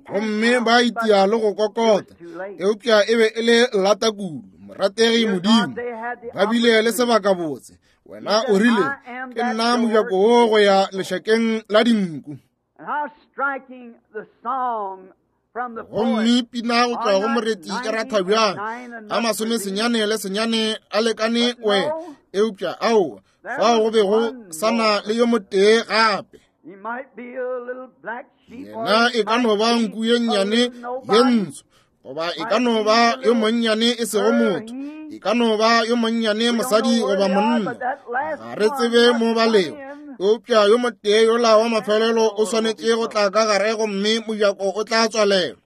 Gomme ba itia le go kokota, eupša e be e le lata kudu. Morategi Modimo, ba bile le sebaka botse. Wena o rile, ke nna mojako wo go ya lešakeng la dinku. Gomme pina go tšwa go moreti e ratha bjang, a masomesenyane le senyane a lekane wena, eupša aowa, fao go be go sana le yo motee gape. Yena e ka no ba nku ye nnyane ye ntsho, goba e ka no ba yo monnyane e sego motho, e ka no ba yo monnyane mosadi goba monna, ga re tsebe mo ba lego, eupša yo motee yola wa mafelelo o swanetše go tla ka gare gomme mojako o tla tswalelwa.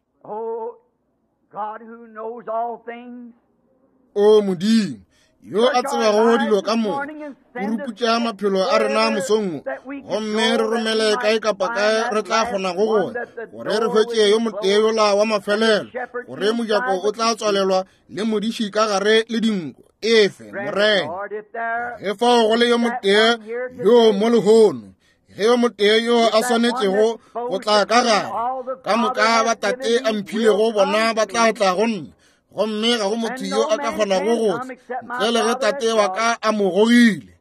O Modimo yo a tsebago dilo ka moka, o ruputša maphelo a rena mosong wo, gomme re romele kae kapa kae re tla kgonago go ya, gore re hwetše yo motee yola wa mafelelo, gore mojako o tla tswalelwa le modiši ka gare le dinko. Efe Morena, ge fao go le yo motee yo mo lehono, ge yo motee yo a swanetšego go tla ka gare, ka moka ba Tate a mphilego bona ba tla tla go nna, gomme ga go motho yo a ka kgonago go tla ntle le ge Tate wa ka a mo gogile.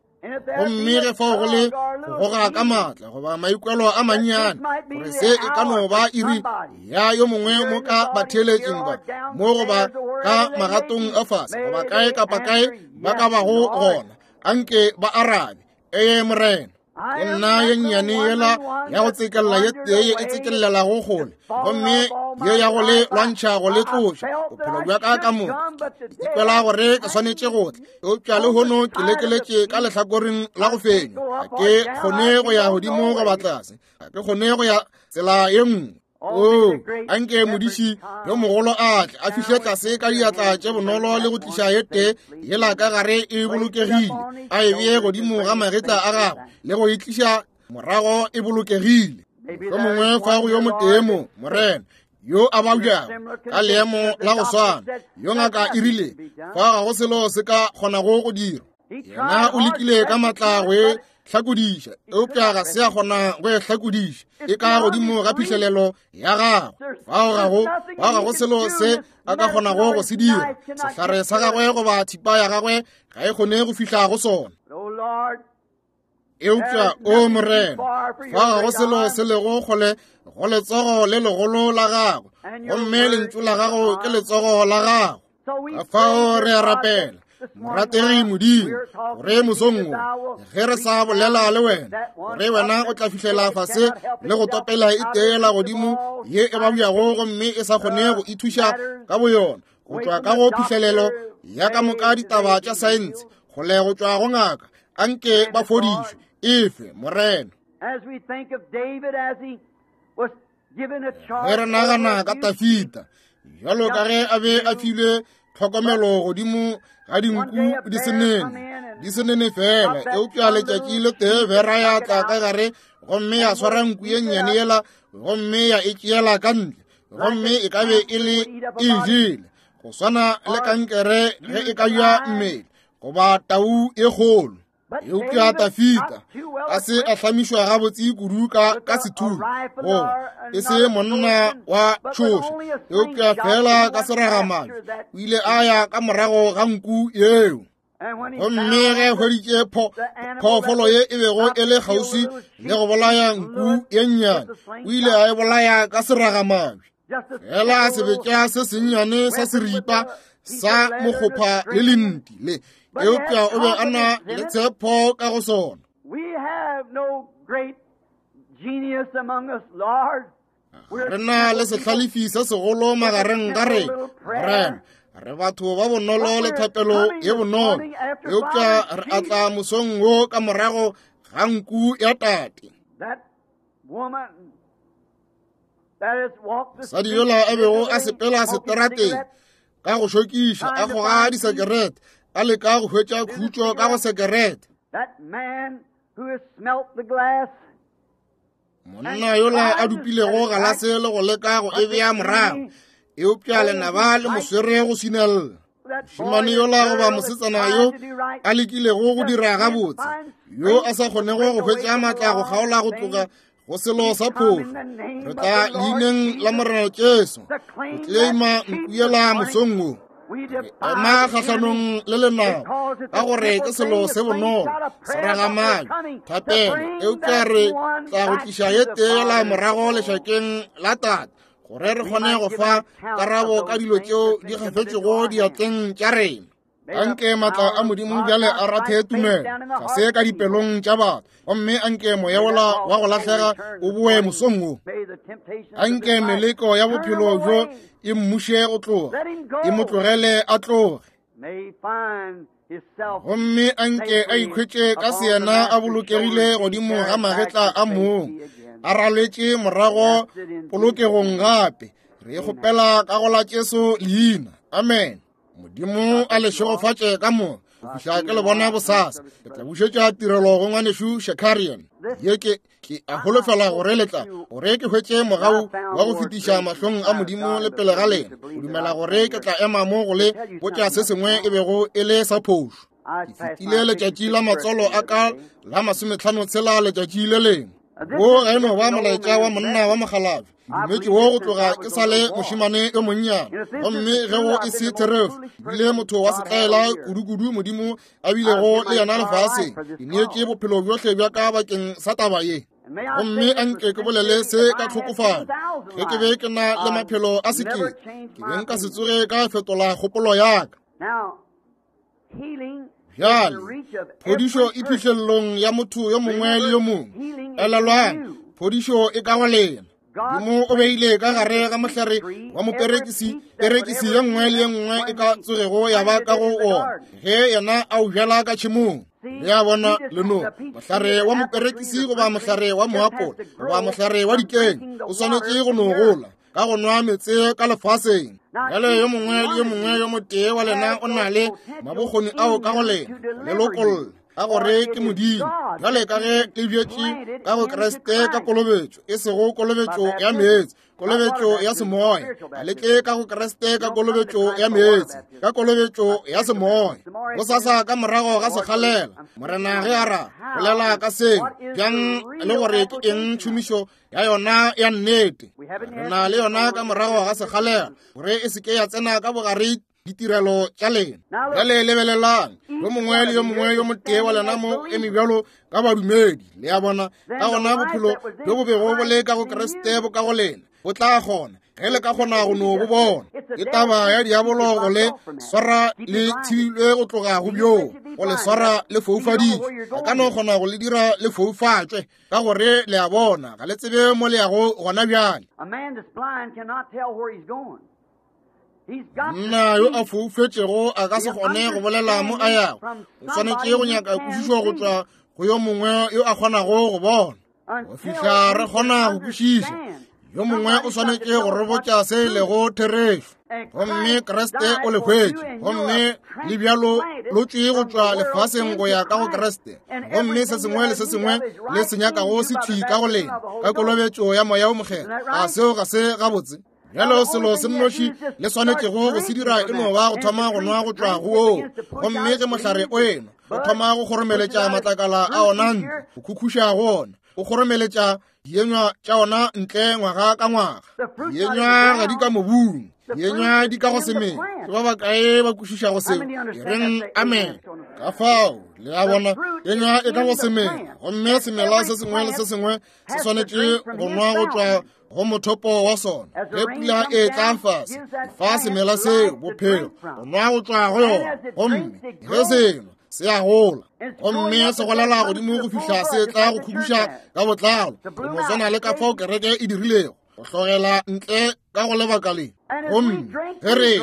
Gomme ge fao go le go goga ka maatla goba maikwelo a mannyane, gore se e ka no ba iri ya yo mongwe mo ka batheeletšeng ba mo goba ka magatong a fase goba kae kapa kae ba ka bago gona, anke ba arabe, ee Morena. Ke nna ye nnyane yela ya go tsekella ye tee ye e tsekellelago kgole, gomme ye ya go le lwantšha go le tloša bophelo bja ka ka moka. Ke ikwela gore ke swanetše go tla, eupša lehono ke lekeletše ka lehlakoreng la go fenywa. Ga ke kgone go ya godimo goba tlase, ga ke kgone go ya tsela ye nngwe. O anke modiši yo mogolo a tle a fihle tlase ka diatla tše bonolo le go tliša ye tee yela ka gare e bolokegile, a e bee godimo ga magetla a gagwe le go e tliša morago e bolokegile. Mohlomongwe fa go yo motee mo, Morena, yo a babjago ka leemo la go swana, yo ngaka e rile fa ga go selo se ka kgonago go dirwa. Yena o lekile ka maatla go e hlakodiša, eupša ga se a kgona go e hlakodiša, e ka godimo ga phihlelelo ya gagwe. Fao ga go fao ga go selo se a ka kgonago go se dira, sehlare sa gagwe goba thipa ya gagwe ga e kgone go fihla go sona. Eupša o Morena, fa ga go selo se lego kgole go letsogo le legolo la gago, gomme lentšu la gago ke letsogo la gago. Ka fao re a rapela Morategi Modimo, gore mosong wo ge re sa bolela le wena, gore wena o tla fihlela fase le go topela e teela godimo ye e babjago gomme e sa kgone go ithuša ka boyona, go tšwa ka go phihlelelo ya ka moka ditaba tša saense, kgole go tšwa go ngaka, anke ba fodišwe. Efe, Morena. Ge re nagana ka Tafita, bjalo ka ge a be a filwe tlhokomelo godimo ga dinku di se nene, di se nene fela, eupša letšatši le tee bera ya tla ka gare gomme ya swara nku ye nnyane yela gomme ya e tšeela ka ntle, gomme e ka be e le e jele, go swana le kankere ge e ka ja mmele goba tau e kgolo. Eupša Tafita a se a hlamišwa gabotse kudu ka ka sethunya, goba e se monna wa tšhoša, eupša fela ka seragamabje o ile a ya ka morago ga nku yeo. Gomme ge hweditše phoofolo ye e bego e le kgauswi le go bolaya nku ye nnyane, o ile a e bolaya ka seragamabje. Fela sebetša se sennyane sa seripa sa mokgopha le lenti le, eupša o be a na le tshepo ka go sona. Re na le sehlalefi se segolo magareng ga rena, Morena. Re batho ba bonolo le thapelo ye bonolo, eupša re atla mosong wo ka morago ga nku ya tate. Mosadi yola a bego a sepela seterateng ka go šokiša, a goga disekerete, a leka go hwetša khutšo ka go sekerete. Monna yola a dupilego galase le go leka go e bea morago, eupša lenaba le mo swere go swinella. Mošemane yola goba mosetsana yo a lekilego go dira gabotse, yo a sa kgonego go hwetša maatla go kgaola go tloga go selo sa phošo, re tla leineng la Morena Jesu go tleima nku yela mosong wo. Re ema kgahlanong le lenaba ka gore ke selo se bonolo, seragamabje, thapelo, eupša re tla go tliša ye teela morago lešakeng la tate, gore re kgone go fa karabo ka dilo tšeo di gafetšego diatleng tša rena. Anke maatla a Modimo bjale a rathe tumelo tlase ka dipelong tša batho, gomme anke moya wola wa go lahlega o boe mosong wo. Anke meleko ya bophelo bjo e mmuše go tloga, e mo tlogele a tloge, gomme anke a ikhwetše ka seyena a bolokegile godimo ga magetla a mong, a raletše morago polokegong gape. Re kgopela ka go la Jesu leina. Amen. Modimo a le šegofatše ka moka go fihla ke le bona bosasa. Ke tla bušetša tirelo go ngwanešu Shakarian. Ye ke ke a holofela gore le tla gore ke hwetše mogau wa go fetiša mahlong a Modimo le pele ga lena, go dumela gore ke tla ema mo go le botša se sengwe e bego e le sa phošo. Ke fetile letšatši la matswalo a ka la masometlhano tshela letšatši le lengwe. Wo ga e no ba molaetša wa monna wa mokgalabje, dumetše wo go tloga ke sa le mošemane yo monnyane, gomme ge go e se therešo, ebile motho wa setlaela kudu-kudu Modimo a bilego le yena lefaseng. Ke neetše bophelo bjohle bja ka bakeng sa taba ye, gomme anke ke bolele se ka tlhokofalo. Ge ke be ke na le maphelo a sekete, ke be nka se tsoge ka fetola kgopolo ya ka. Bjale phodišo e phihlelelong ya motho yo mongwe le yo mongwe. Elelwang, phodišo e ka go lena. Modimo o beile ka gare ga mohlare wa moperekisi perekisi ye nngwe le ye nngwe e ka tsogego ya ba ka go ona, ge yena a o bjala ka tšhemong. Le a bona leno, mohlare wa moperekisi goba mohlare wa moapola goba mohlare wa dikeng o swanetše go no gola ka go nwa meetse ka lefaseng. Bjale yo mongwe le yo mongwe yo motee wa lena o na le mabokgoni ao ka go lena le lokolla, ka gore ke Modimo. Bjale ka ge le bjetše ka go Kriste ka kolobetšo, e sego kolobetšo ya meetse, kolobetšo ya semoya. A le tle ka go Kriste ka kolobetšo ya meetse, ka kolobetšo ya semoya. Bosasa ka morago ga sekgalela, Morena ge a ra bolela ka seo bjang le gore ke eng tšhomišo ya yona ya nnete. Re na le yona ka morago ga sekgalela, gore e se ke ya tsena ka bogare ditirelo tša lena. Bjale lebelelang, yo mongwe le yo mongwe yo motee wa lena mo eme bjalo ka badumedi. Le a bona, ka gona bophelo bjo bo bego bo le ka go Kriste bo ka go lena bo tla kgona, ge le ka kgona go no bo bona. Ke taba ya diabolo go le swara le thibilwe go tloga go bjoo, go le swara le foufaditšwe. A ka no kgona go le dira le foufatšwe, ka gore le a bona ga le tsebe mo le yago gona bjale. Monna yo a foufetšego a ka se kgone go bolela mo a yago. O swanetše go nyaka kwešišo go tšwa go yo mongwe yo a kgonago go bona. Go fihla re kgona go kwešiša, yo mongwe o swanetše go re botša se e lego therešo. Gomme Kriste o le hwetše, gomme le bjalo lo tšwe go tšwa lefaseng go ya ka go Kriste. Gomme se sengwe le se sengwe le se nyakago se thwi ka go lena ka kolobetšo ya Moya o Mokgethwa. A seo ga se gabotse? Bjalo selo se nnoši le swanetšego go se dira e no ba go thoma go nwa go tšwa go woo. Gomme ge mohlare o enwa, o thoma go kgoromeletša matlakala a ona ntle, go khukhuša go ona, o kgoromeletša dienywa tša ona ntle ngwaga ka ngwaga. Dienywa ga di ka mobung, dienywa di ka go semela. Ke ba bakae ba kwešišago seo? E reng amen. Ka fao le a bona, enywa e ka go semela, gomme semela se sengwe le se sengwe se swanetše go nwa go tšwa go mothopo wa sona. Ge pula e tla fase, fa semela seo bophelo, go nwa go tšwa go yona, gomme ge seno se a gola, gomme se golela godimo go fihla se tla go khuduša ka botlalo, go no swana le ka fao kereke e dirilego, go hlogela ntle ka go lebaka le. Gomme ge re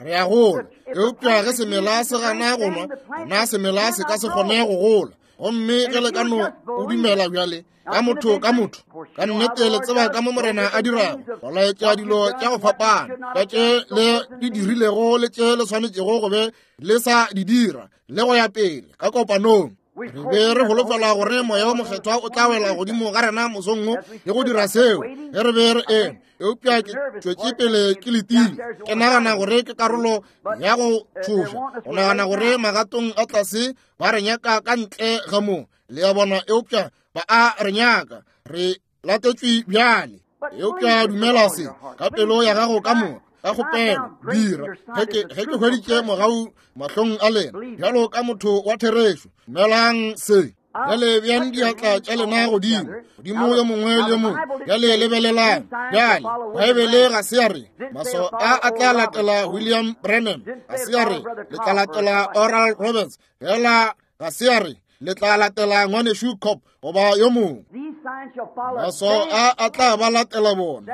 re a gola, eupša ge semela se gana go nwa, gona semela se ka se kgone go gola. Gomme ge le ka no o dumela bjale ka motho ka motho, ka nnete le tseba ka mo Morena a dirago, go laetša dilo tša go fapana tša tše le di dirilego le tše le swanetšego go be le sa di dira, le go ya pele ka kopanong. Re be re holofela gore Moya o Mokgethwa o tla wela godimo ga rena mosong wo le go dira seo ge re be re eme, eupša ke tšwetše pele ke letile. Ke nagana gore ke karolo ya go tšhoša, go nagana gore magatong a tlase ba re nyaka ka ntle ga mo, le a bona, eupša ba a re nyaka, re latetšwe bjale. Eupša dumela se ka pelo ya gago ka moka, ka kgopelo dira. Ge ke hweditše mogau mahlong a lena bjalo ka motho wa therešo, dumelang se. Bjale bjang diatla tša lena godimo, godimo yo mongwe le yo mongwe. Bjale lebelelang. Bjale Baebele ga se ya re maswao a a tla latela William Branham, ga se ya re le tla latela Oral Roberts, fela ga se ya re le tla latela ngwanešu Cobb goba yo mongwe. Maswao a a tla ba latela bona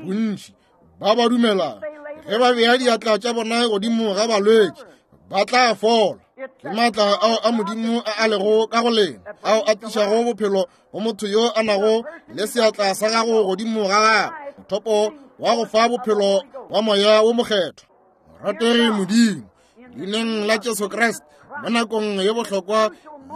bontši ba ba dumelang. Ge ba bea diatla tša bona godimo ga balwetši, ba tla fola. Ke maatla ao a Modimo a a lego ka go lena, ao a tlišago bophelo go motho yo a nago le seatla sa gago godimo ga gagwe, mothopo wa go fa bophelo wa Moya wo Mokgethwa. Morategi Modimo, leineng la Jesu Kriste, mo nakong ye bohlokwa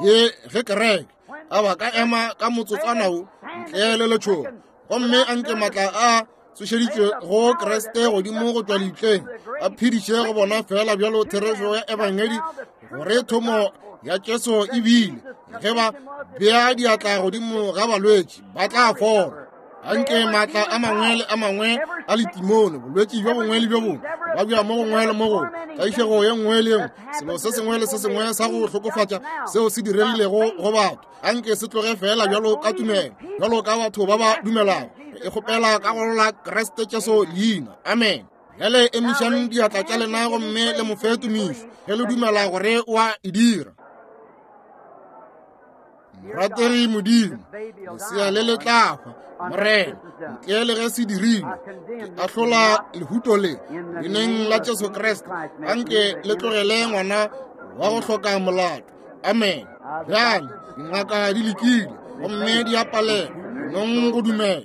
ye ge kereke a ba ka ema ka motsotswana wo ntle le letšhogo, gomme a nke maatla a tsošeditšwe go Kriste godimo go tšwa lebitleng, a phediše go bona fela bjalo therešo ya ebangedi, gore thomo ya Jesu e bile ge ba bea diatla godimo ga balwetši ba tla fola. Anke maatla a mangwe le a mangwe a letimone, bolwetši bjo bongwe le bjo bongwe, ba bja mo gongwe le mo gongwe, tlaišego ye nngwe le ye nngwe, selo se sengwe le se sengwe sa go hlokofatša seo se diregilego go batho, anke se tloge fela bjalo ka tumelo, bjalo ka batho ba ba dumelago. E kgopela ka go la Kriste Jesu leina. Amen. Bjale emišang diatla tša lena gomme le mo fe tumišo ge le dumela gore o a e dira. Morategi Modimo, lesea le le tla hwa, Morena, ntle le ge se dirilwe. Ke ahlola lehuto le leineng la Jesu Kriste. Anke le tlogele ngwana wa go hloka molato. Amen. Bjale dingaka di lekile gomme di a palelwa, nong go dumela.